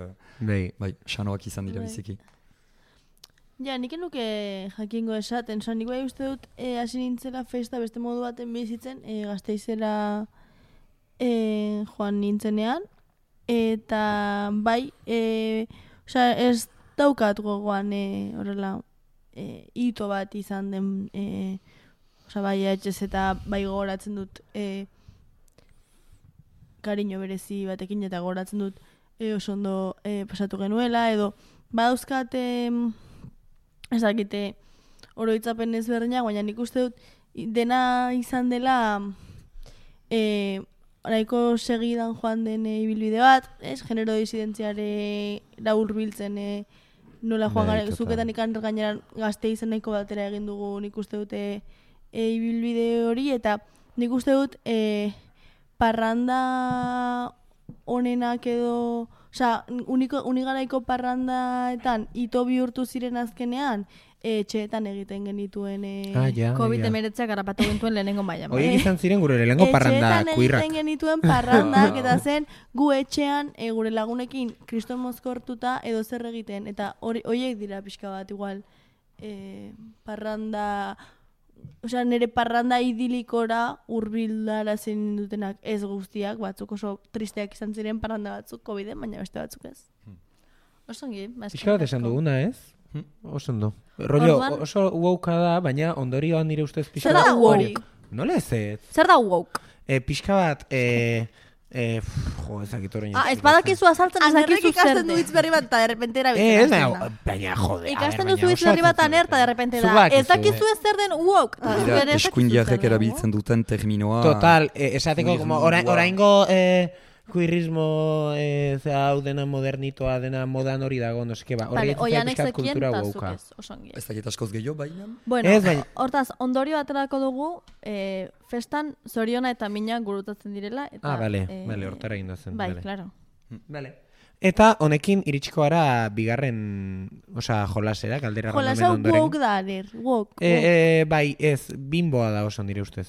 sanoak izan dira biziki. Ja, nik enuke jakingo esaten, nik bai uste dut hasi nintzela festa beste modu baten bizitzen, Gasteizera joan nintzenean, eta ez daukat gogoan horrela hito bat izan den, etxez eta gogoratzen dut kariño berezi batekin eta gogoratzen dut oso ondo pasatu genuela, edo badauzkate ez dakite oroitzapen ezberdinak, baina nik uste dut dena izan dela nahiko segidan joan den ibilbide bat, genero disidentziare hurbiltzen nola joan gara, zuketan ikan gainera Gasteizen nahiko batera egin dugu nik uste dute ibilbide hori, eta nik uste dut parranda honenak edo, unigaraiko parrandaetan ito bihurtu ziren azkenean, etxeetan egiten genituen COVID-19 garapatu gintuen lehenengo maila. Horiek izan ziren gure lehenengo parranda kuirrak. Etxeetan egiten genituen parrandak eta zen gu etxean gure lagunekin kriston mozkortuta edo zer egiten, eta horiek dira pixka bat igual parranda... nire parranda idilikora hurbilara zen dutenak ez guztiak, batzuk oso tristeak izan ziren parranda batzuk COVID-en, baina beste batzuk ez. Osongi, pixka bat esan duguna, ez? Oso ondo. Rollo, oso woke da, baina ondorioan nire ustez pixka bat... Zer da woke? Nola ez ez? Zer da woke? Pixka bat... ezakit horrein... Ez badakizu azaltzen ezakizu zer ikasten du hitz berri bat eta derrepente erabiltzen. Baina jode. Ikasten duzu hitz berri bat aner eta derrepente da. Ez dakizu ez zer den woke. Eskuindiarrek erabiltzen duten terminoa... Total, esateko, oraingo kuirrismo hau dena modernitoa, dena modan hori dago, noske ba. Oian exekien eta zuk ez, osongi. Ez dakit askoz gehiago, baina... Bueno, hortaz, ondorio aterako dugu, festan zoriona eta mina gurutatzen direla. Bale, hortara egin zen. Bai, klaro. Eta honekin iritsiko gara bigarren, jolasera, galdera randomen ondoren. Jolasa woke da, woke. Bai, ez, bimboa da oso nire ustez.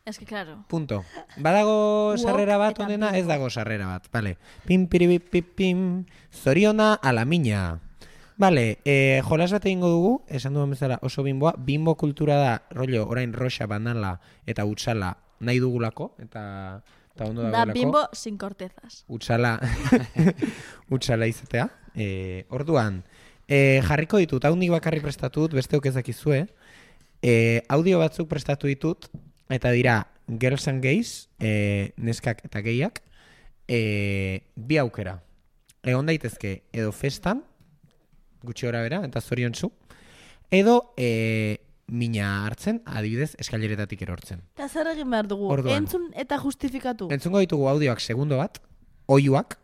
Ez que, claro. Punto. Badago sarrera bat eta onena, bingo. ez dago sarrera bat. Vale. Pim, piripipipim, zoriona ala mina. Vale, jolas bat egingo dugu, esan duan bezala oso bimboa. Bimbo kultura da, rollo, orain roxa, banala eta utzala nahi dugulako, eta ondo Da dagoelako. bimbo sin cortezas. Utzala izatea. Orduan, jarriko ditut, hau nik bakarrik prestatut, besteok ezakizue. Audio batzuk prestatu ditut, eta dira Girls and Gays, neskak eta gehiak, bi aukera. Egon daitezke edo festan, gutxi gora bera, eta zoriontsu, edo mina hartzen, adibidez, eskaileretatik erortzen. Eta zer egin behar dugu? Orduan. Entzun eta justifikatu. Entzungo ditugu audioak segundo bat, oiuak,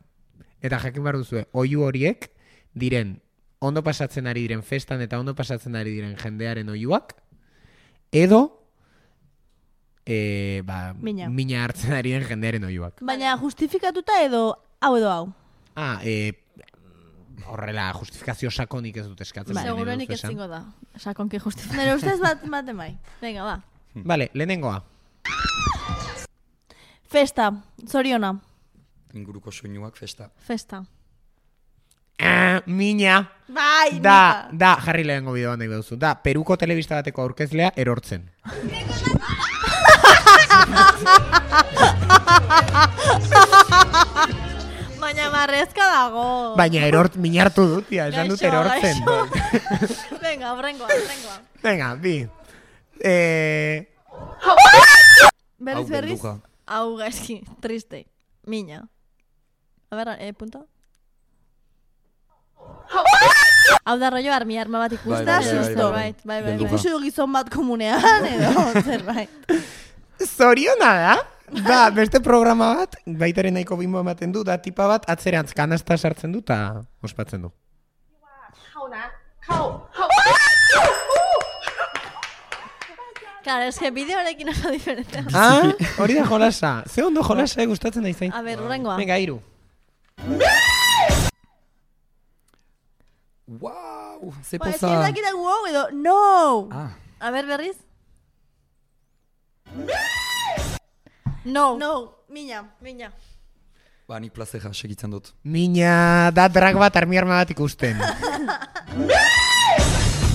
eta jakin behar duzue, oiu horiek diren, ondo pasatzen ari diren festan eta ondo pasatzen ari diren jendearen oiuak, edo mina hartzen ari den jendearen oiuak. Baina justifikatuta edo hau. Horrela, justifikazio sakonik ez dut eskatzen. Seguruenik ez zingo da. Sakonki justifikatu. Nere ustez bat mai. Venga, ba. Vale, lehenengoa. Festa, zoriona. Inguruko soinuak festa. Festa. Mina. Bai, Da, jarri lehenengo bideoan nahi beduzu. Da, Peruko telebista bateko aurkezlea erortzen. Baina marrezka dago. Baina mina hartu dut, esan dut erortzen. Venga, horrengoa. Venga, bi. Berriz. Hau gaizki, triste. Mina. A ver, punto. Hau da rollo armi arma bat ikusta, susto. Bai. Ikusi du gizon bat komunean, edo, zerbait. Zoriona da? Da, beste programa bat, baitaren nahiko bimbo ematen du, da tipa bat atzerantz kanasta sartzen du eta ospatzen du. Claro, es que bideoarekin oso diferente. Hori da jolasa. Ze ondo jolasa gustatzen da izain. A ver, urrengoa. Venga, iru. Wow, ze Ba, poza. ez dakita wow edo, no! A ver, berriz. No, mina. Ba, nik plazera segitzen dut. Mina da drag bat armi arma bat ikusten.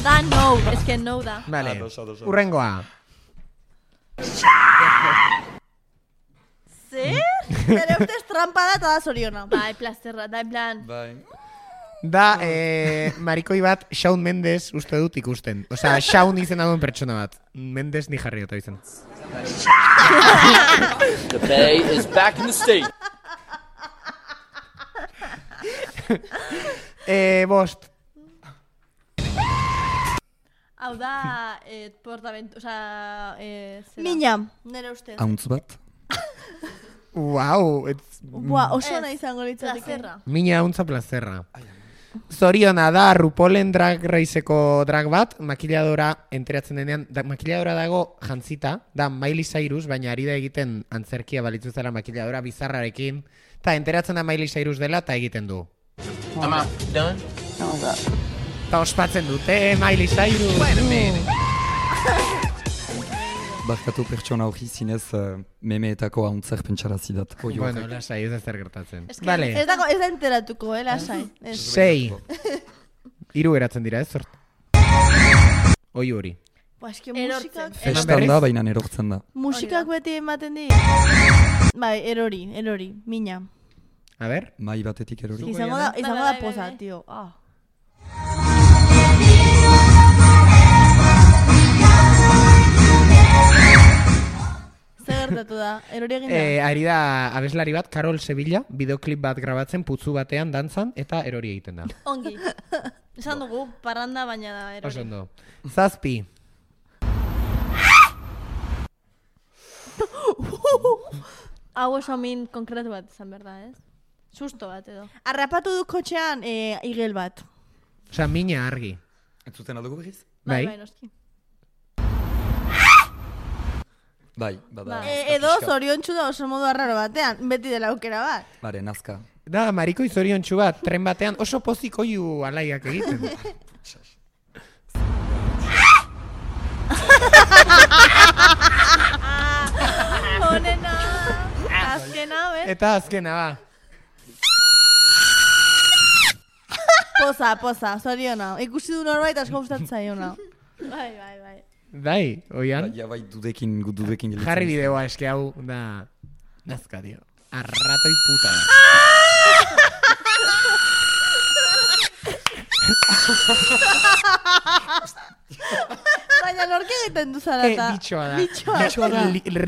Da no, es que no da. Vale, urrengoa. Zer? Nere ustez trampa da eta da zoriona. Bai, plazerra, da en plan. Bai. Da, marikoi bat Shawn Mendes uste dut ikusten. Osea, Shawn izena duen pertsona bat. Mendes ni jarri eta izan. The Bay is back in the state. Bost. Hau da, portamentu, osea, mina, nere ustez. Hauntz bat. Wow, Oso nahi izango litzateke. Plazerra. Mina hauntza plazerra. Zoriona da, RuPaulen Drag Raceko drag bat, makiladora enteratzen denean, makiladora dago jantzita, da Miley Cyrus, baina ari da egiten antzerkia balitzu zela makiladora bizarrarekin, eta enteratzen da Miley Cyrus dela, eta egiten du. Ama, done? Eta ospatzen dute, Miley Cyrus! Barkatu pertsona hori zinez memeetako hauntzer pentsarazi dat. Bueno, lasai, ez da zer gertatzen. Ez da enteratuko, lasai. 6. 3 geratzen dira, ez zort? Oi hori. Musikak... Festan da, baina erortzen da. Musikak beti ematen di. Bai, erori, mina. A ber? Mai batetik erori. Izango da poza, tio. Zer gertatu da, erori egin da? Ari da abeslari bat, Carol Sevilla, bideoklip bat grabatzen, putzu batean, dantzan, eta erori egiten da. Ongi. Esan dugu, parranda baina da erori. Oso ondo. 7. Hau oso min konkretu bat izan berda, ez? Susto bat edo. Arrapatu du kotxean igel bat. Osa, mina argi. Ez zuten aldugu behiz? Bai. Noski. Bai, bada. Edo zoriontsu da oso modu arraro batean, beti dela aukera bat. Bare, nazka. Da, marikoi zoriontsu bat, tren batean, oso pozik oiu alaiak egiten. onena. Azkena, bez? Eta azkena, ba. Poza, zoriona. Ikusi du norbait asko gustatzen zaiona. Bai. Bai, oian. Ja, bai, dudekin jelitzen. Jarri bideoa, eske hau da... Nazka, dio. Arratoi puta da. Baina norke egiten du zarata. Bitxoa da. Bitxoa da.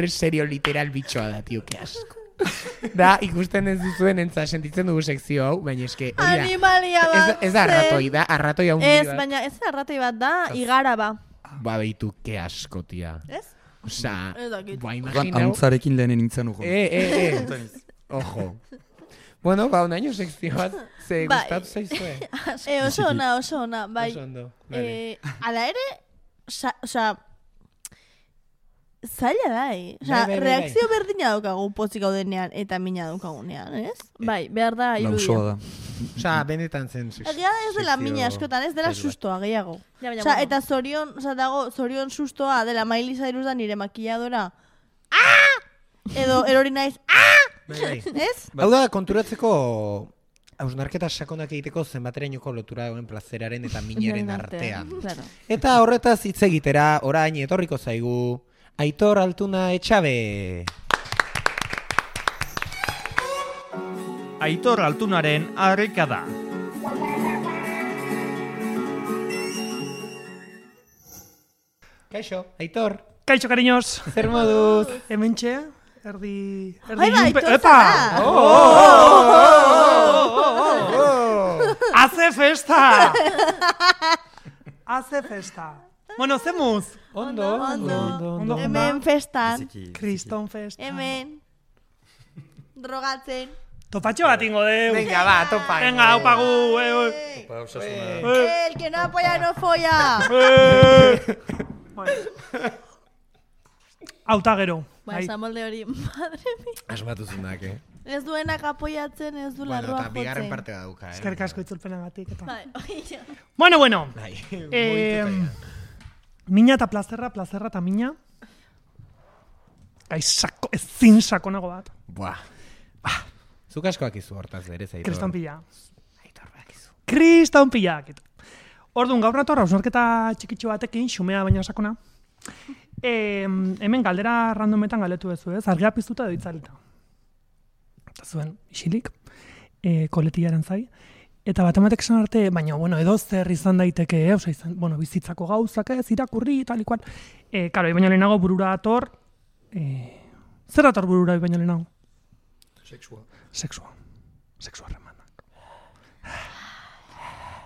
Serio, literal bitxoa da, tio, que asko. Da, ikusten ez duzuen entza, sentitzen dugu sekzio hau, baina eske, hori da. Animalia bat. Ez da arratoi, da, arratoi hau Ez, baina ez arratoi bat da, igara ba. Ba, behitu, que asko, tia. Ez? Osa, Ez dakit. ba, Orduan, imaginau. Ahotzarekin lehenen nintzen ujo. Ojo. Bueno, ba, unaino sekzio bat, ze Bai. gustatu zaizue. Oso ona, bai. Oso ondo, vale. Ala ere, osea, zaila da, Bai. reakzio berdina daukagu pozik gaudenean eta mina daukagunean, ez? Bai, behar da irudia. Lausoa da. Osa, benetan zen Egia da ez dela mina askotan, ez dela sustoa gehiago. Ja, baina, Osea, bueno. eta zorion sustoa dela Miley Cyrus da nire makilladora. Edo erori naiz, Bai. ez? Hau da, konturatzeko hausnarketa sakonak egiteko zenbaterainoko lotura duen plazeraren eta minaren artean. Claro. Eta horretaz hitz egitera, orain etorriko zaigu, Aitor Altuna Etxabe. Aitor Altunaren harrikada. Kaixo, Aitor, Kaixo, cariños. zer moduz? Hementxe, erdi Ai, bai, ilunpe- Aitor Epa! zara. Hace festa! Hace festa. Bueno, zemuz. Ondo. Hemen festan, Kriston festa. hemen, drogatzen. Topatxo bat ingo deu. Venga, ba, topa. Venga, aupagu. El que no apoya no folla. Auta gero. Ba, esan molde hori, madre mia. Asmatu zunak, Ez duenak apoyatzen, ez du Bueno, larroa eta bigarren jotzen. parte dauka, Eskerrik asko itzulpenagatik eta. Bai, oia. Bueno. Bai, Mina eta plazerra eta mina. Ezin sakonago bat. Buah. Zuk askoak izu hortaz berez, Aitor. Kriston pila. Aitor, bakizu. Kriston pila. Orduan, gaur nator, hausnarketa txikitxo batekin, xumea baina sakona. Hemen galdera randometan galdetu bezu, ez? Argia piztuta edo itzalita. Eta zuen, isilik, koletillaren zai. Eta bat ematek esan arte, baina, bueno, edo zer izan daiteke, bizitzako gauzak ez, irakurri, tal ikual. Karo, baina lehenago burura dator, zer dator burura baina lehenago? Sexua harremanak.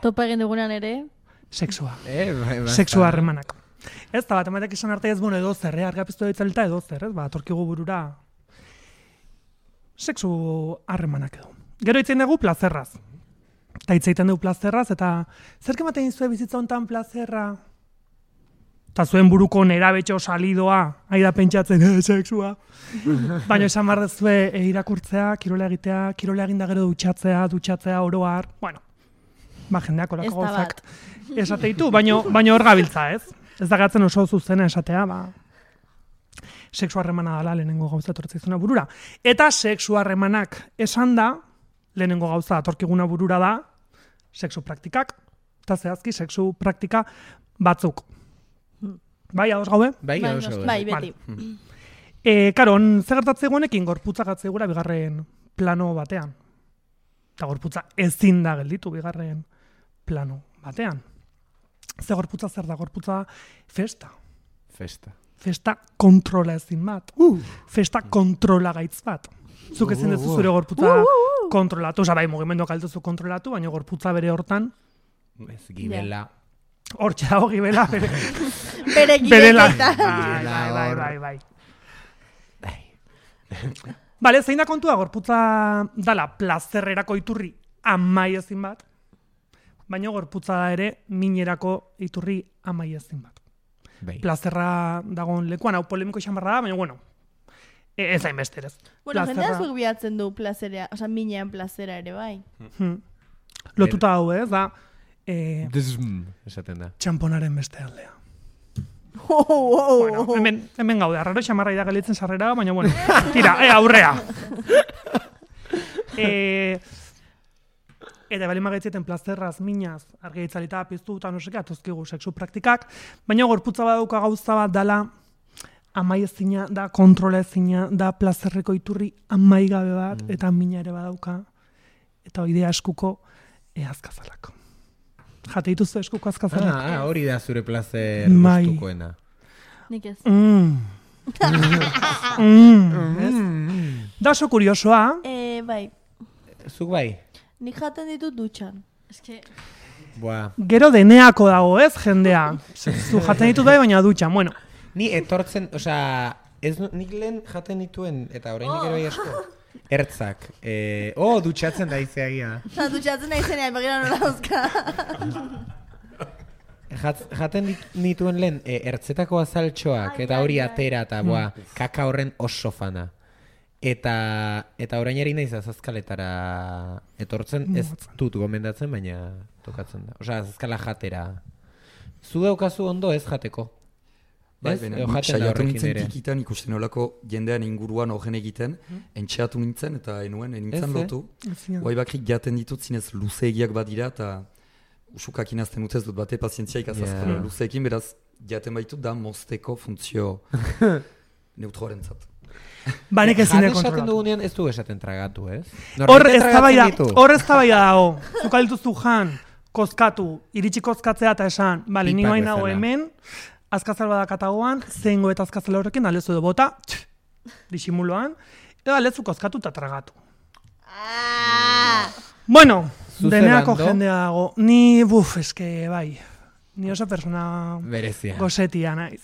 Topa egin dugunean ere, Sexua. Basta. Sexua harremanak. Ez da, bat ematek esan arte ez, bueno, edo zer, argia piztu da itzalita edo zer, ez? Ba, torkigu burura sexu harremanak edo. Gero itzen dugu plazerraz. Eta itzeiten dugu plazerraz, eta zerk ematen izue bizitza hontan plazerra? Eta zuen buruko nerabetxo salidoa, aida pentsatzen, sexua. Baina esan behar dezue irakurtzea, kirola egitea, kirola eginda gero dutxatzea oroar. Bueno, ba, jendeak ez olako da gauzak bat. esateitu, baina hor gabiltza, ez? Ez da gatzen oso zuzena esatea, ba, sexu harremana dela lehenengo gauza etortzaizuna burura. Eta sexu harremanak esan da, lehenengo gauza atorkiguna burura da, sexu praktikak, eta zehazki sexu praktika batzuk. Bai, ados gaude? Bai, Bai, oso. bai, beti. Karo, zer gertatzen guenekin gorputza gatzegura bigarren plano batean. Eta gorputza ezin da gelditu bigarren plano batean. Ze gorputza zer da? Gorputza festa. Festa kontrola ezin bat. Festa kontrola gaitz bat. Zuk ezin dezu zure gorputza kontrolatu. Osa, bai, mugimenduak altuzu kontrolatu, baina gorputza bere hortan Ez gibela. hortxe dago gibela bere. Bere Bere la... gibeleta. Bai. Bale, zein da kontua gorputza dala plazerrerako iturri amai ezin bat, baina gorputza da ere minerako iturri amai ezin bat. Bai. Plazerra dagoen lekuan, hau polemiko izan barra da, baina bueno, ez hain besterez. Bueno, jendea zuk bilatzen du plazerea, oza, minean plazera ere, bai. Lotuta hau, ez, da, Esaten da. txamponaren beste aldea. Bueno, hemen gaude, arraro xamarra da galitzen sarrera, baina bueno, tira, aurrea. Eta bali magaitzeten plazerraz, minaz, argeitzalita, piztu eta no seke, atozkigu sexu praktikak, baina gorputza badauka gauza bat dala, amai ezina, da kontrola ezina, da plazerreko iturri amai gabe bat, eta mina ere badauka, eta oidea eskuko azkazalak. Jate dituzu eskuko azkazalak. Hori da zure plazer gustukoena. Nik ez. Da oso kuriosoa. Bai. Zuk bai? Nik jaten ditut dutxan. Eske... Gero deneako dago, ez, jendea. Zu jaten ditut bai, baina dutxan, bueno. Ni etortzen, nik lehen jaten dituen, eta orain gero asko, ertzak. Dutxatzen da izeagia. Dutxatzen da izenean, begira nola dauzka. Jaten dituen lehen, ertzetako azaltxoak, eta hori atera, eta kaka horren oso fana. Eta orain eri naiz azazkaletara etortzen, ez dut gomendatzen, baina tokatzen da. Osa, azazkala jatera. Zu daukazu ondo ez jateko? Bai, saiatu nintzen tikitan ikusten olako jendean inguruan horren egiten, entxeatu nintzen eta nintzen lotu. Guai bakrik jaten ditut zinez luzeegiak badira eta usukak inazten utez dut bate pazientziaik azazkala luzeekin, beraz jaten baitut da mozteko funtzio neutroaren zat. Banek ezine kontrolatu. Esaten dugunean ez du esaten tragatu, ez? Hor ez tabaida dago. Zukalituzu jan, kozkatu, iritsi kozkatzea eta esan, bale, ni guain nago hemen, azkazal badakatagoan, zehengo eta azkazal horrekin alezu edo bota, disimuloan, edo alezu kozkatu eta tragatu. Bueno, deneako jendea dago. Ni, eske, bai, ni oso persona gozetia naiz.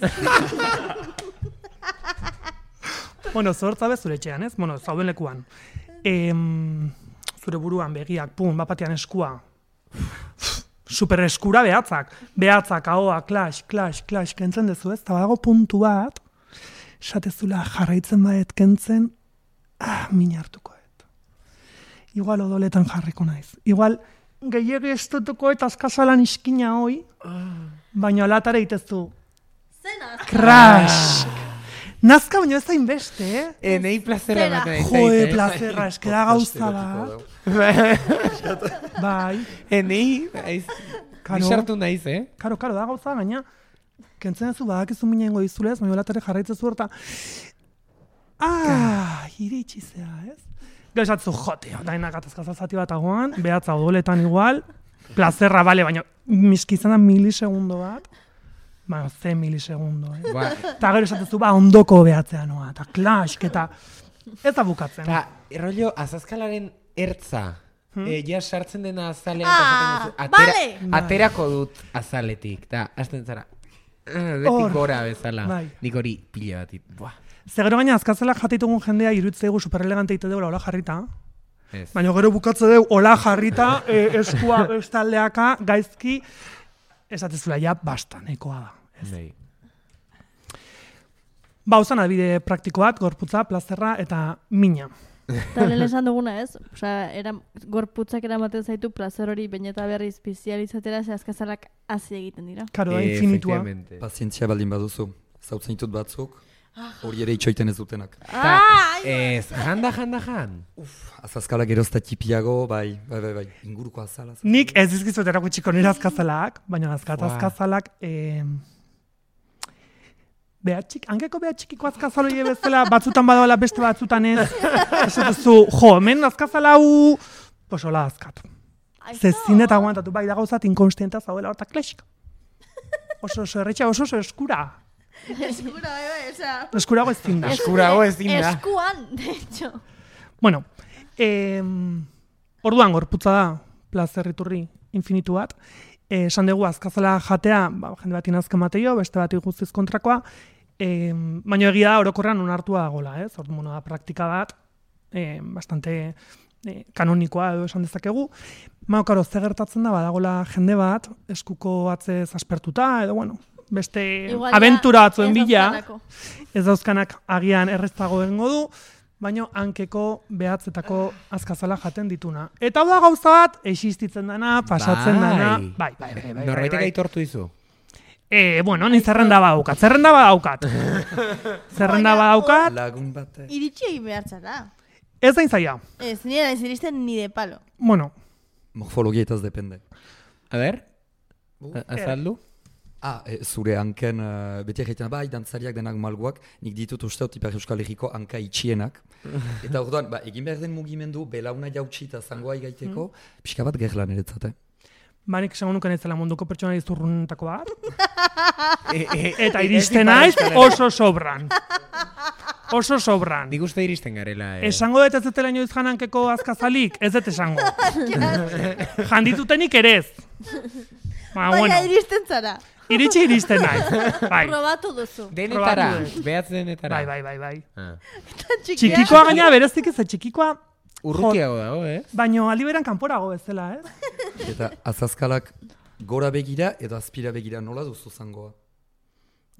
Bueno, zortza bez zure etxean, ez? Bueno, zauden lekuan. Zure buruan begiak, bapatean eskua. Super eskura behatzak. Behatzak, ahoa, klash, kentzen dezu, ez? Eta badago puntu bat, esatezula jarraitzen badet kentzen, min hartuko et. Igual odoletan jarriko naiz. Igual gehiagi estutuko eta azkazalan iskina hoi, baina alatare itezu. Zena! Crash! Nazka baina ez da inbeste, Nei plazera ematen. Joe, plazera, eskera gauza bat. Bai. Nei, bisartu naiz, Karo, da gauza, gaina, kentzen ez du badakizu minengo dizulez, baina latare jarraitzezu horta. Iritsizea, ez? Gauzatzu jote, da enakatazkazazati bat agoan, behatza odoletan igual, plazerra, bale, baina miskizan da milisegundo bat. Baina, 10 milisegundo, Eta gero esatezu, ondoko behatzea noa, eta klask, eta ez da bukatzen. Eta, rollo, azazkalaren ertza, ja sartzen dena azalean, aterako dut azaletik, eta hasten zara, betik gora bezala, nik hori pila batit, Zegero gaina azkazela jatitugun jendea irutzegu superelegante ite deula hola jarrita, baina gero bukatze deu hola jarrita, eskua bestaldeaka, gaizki, esatezula ja basta, nahikoa da. Uzan adibide praktiko bat, gorputza, plazerra eta mina. Eta lehen esan duguna ez, gorputzak eramaten zaitu plazer hori baina eta berriz bizializatera ze azkazalak hazi egiten dira. Karo, da infinitua. Pazientzia baldin baduzu, zautzen ditut batzuk, hori ere itxoiten ez dutenak. Ez, janda. Azazkalak erozta tipiago, bai, inguruko azala. Nik ez dizkizuet erakutsiko nire azkazalak, baina azkazalak hankeko behatxikiko azkazaloi bezala, batzutan badoala beste batzutan ez. Esatuzu, hemen azkazala hau, posola azkatu. Zezin eta aguantatu, bai da gauzat inkonstienta zauela horta klesik. Oso erretxa, oso eskura. Eskurago ez zinda. Eskuan, de hecho. Bueno, orduan gorputza da, plazerriturri infinitu bat. Esan dugu azkazala jatea, jende bat inazka mateio, beste bat guztiz kontrakoa, baina egia da orokorrean onartua dagoela, ez? Orduan da praktika bat, bastante kanonikoa edo esan dezakegu. Karo, ze gertatzen da, badagoela jende bat, eskuko atzez aspertuta, edo bueno, beste abentura batzuen bila, ez dauzkanak agian erreztago egingo du, baina hankeko behatzetako azkazala jaten dituna. Eta hau da gauza bat, existitzen dana, pasatzen dana. Bai. Norbaitek aitortu dizu? Bueno, ni zerrenda badaukat. Zerrenda badaukat. Lagun bat. Iritsi egin behar zara. Ez da zaila. Ez, nire naiz iristen ni de palo. Bueno, Morfologietaz depende. A ber, azaldu? Zure hanken, beti egiten, bai, dantzariak denak malguak, nik ditut usteot Ipar Euskal Herriko hanka itxienak. Eta orduan, egin behar den mugimendu, belauna jautsi eta zangoa igaiteko, pixka bat gerla niretzate. nik esango nuken ez dela munduko pertsona izurruntako bat. Eta iristen naiz oso sobran. Oso sobran. Nik uste iristen garela. Esango dut ez dutela inoiz janankeko azkazalik, ez dut esango. Janditutenik ere ez. Baina iristen zara. Iristen naiz. Bai. Probatu duzu. Denetara, behatz denetara. Bai. Eta Txikikoa gaina berezik ez, txikikoa Urrutiago dago, baino aliberan kanporago bezala, Eta azazkalak gora begira edo azpira begira nola duzu zangoa?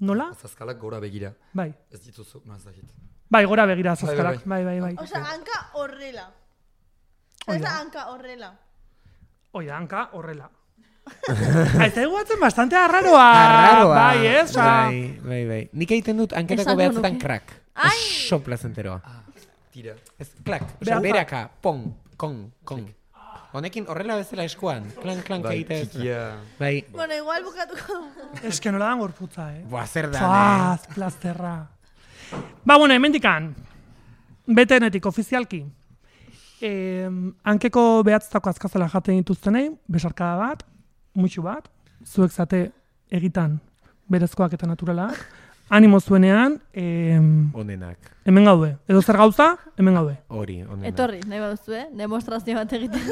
Nola? Azazkalak gora begira. Bai. Ez dituzu, no ez dakit. Bai, gora begira azazkalak. Bai. Osa, hanka horrela. Ez da hanka horrela. Oida, hanka horrela. Eta eguatzen bastante arraroa. Bai, ez? Bai. Nik egiten dut hanketako behatzetan krak. Oso plazenteroa. Tira. Ez, klak. Osa, beraka, pong, kong. Honekin horrela bezala eskuan. Klank egite ez. Bai. Bueno, igual bukatuko. Ez que nola dan gorputza, Boa, zer da, Faz, plazterra. Bueno, hemendikan. Betenetik, ofizialki. Hankeko behatztako azkazela jaten dituztenei, besarkada bat, mutxu bat, zuek zate egitan berezkoak eta naturalak, animo zuenean, onenak. Hemen gaude. Edo zer gauza, hemen gaude. Hori, onenak. Etorri, nahi baduzu, demostrazio bat egiten.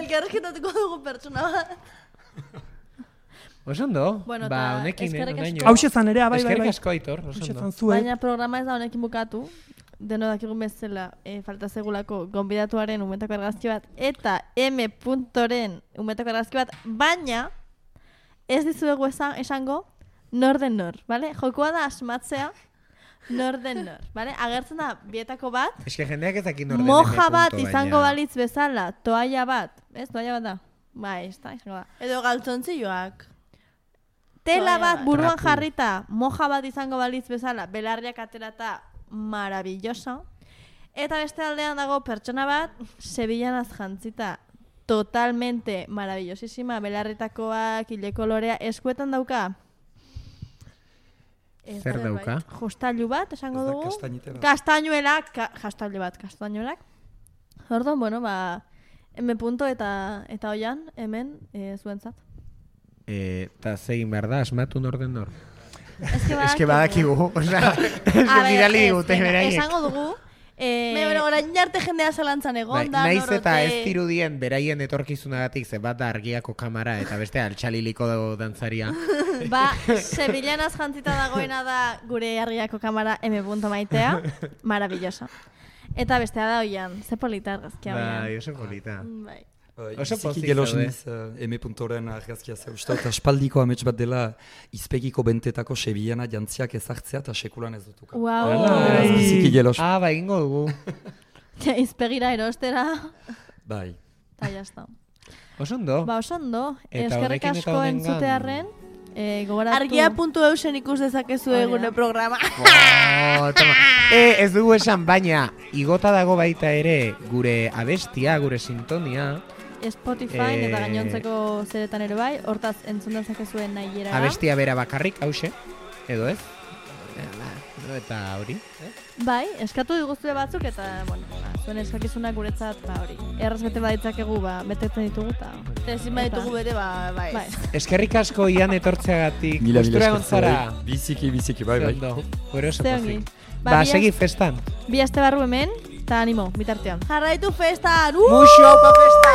Elkarreketatuko dugu pertsona bat. Oso ondo, Bueno, honekin, onaino. Hauxe zan ere, bai. Eskerrik asko, Aitor, oso Hauxe ondo. zan zuek. Baina programa ez da honekin bukatu. Deno dakigun bezala, falta segulako gonbidatuaren umetako argazki bat eta M.ren umetako argazki bat, baina ez dizuegu esango nor den nor, bale? Jokoa da asmatzea nor den nor, bale? Agertzen da bietako bat, Eske jendeak ez dakit nor den moja M. bat baina. izango balitz bezala, toalla bat, ez? Toalla bat da? Bai, ez da, izango da. Edo galtzontzioak. Tela Toalla bat bat. buruan Trapu. jarrita, moja bat izango balitz bezala, belarriak aterata, maravillosa. Eta beste aldean dago pertsona bat, Sevillanaz jantzita, totalmente maravillosísima, belarritakoak, ile kolorea, eskuetan dauka. Zer dauka? Jostailu bat, esango Ez da dugu. kastainite bat? Kastañuelak, kastañuelak. Orduan, bueno, M. eta oian, hemen, zuentzat. Eta zegin behar da, asmatu nor den nor. Eske badakigu, osea, bidali digute beraiek. Esango dugu, Baina, orain arte jendea zalantzan egon da, Naiz eta norote. ez dirudien beraien etorkizunagatik ze bat da argiako kamara eta beste altxaliliko dago dantzaria. Sevillanaz jantzita dagoena da gure argiako kamara M. Maitea, maravillosa. Eta bestea da oian, ze polita argazkia oian. Bai, oso polita. Bai. Oso Biziki pozik gelos zaude. niz M.ren argazkia zeu. Eta aspaldiko amets bat dela izpegiko bentetako Sevillana jantziak ezartzea eta sekulan ez dutuka. Wow. Beraz, biziki gelos. Ba, egingo dugu. Izpegira erostera, Bai. eta jazta. Oso ondo. Oso ondo. Eta Eskerrik honekin eta asko honengan. entzutearren, gogoratu. Argia.eusen ikus dezakezu Hori da. egune programa. Toma. Ez dugu esan, baina igota dago baita ere gure abestia, gure sintonia. Spotify eta gainontzeko zeretan ere bai, hortaz entzun dezakezuen nahi era. Abestia bera bakarrik, hause, edo ez? Eta hori. Bai, eskatu diguzue batzuk eta, bueno, zuen eskakizunak guretzat, hori. Erraz bete baditzakegu, betetzen ditugu eta... Ezin baditugu bete, bai. Bai. Eskerrik asko Ian etortzeagatik. Mila Gustura esker egon zara. zuei. Biziki, bai. Ondo. Gure oso Ze ongi. pozik. Ba, Segi festan. Bi aste barru hemen, eta animo, bitartean. Jarraitu festan! Muxo, pa festa!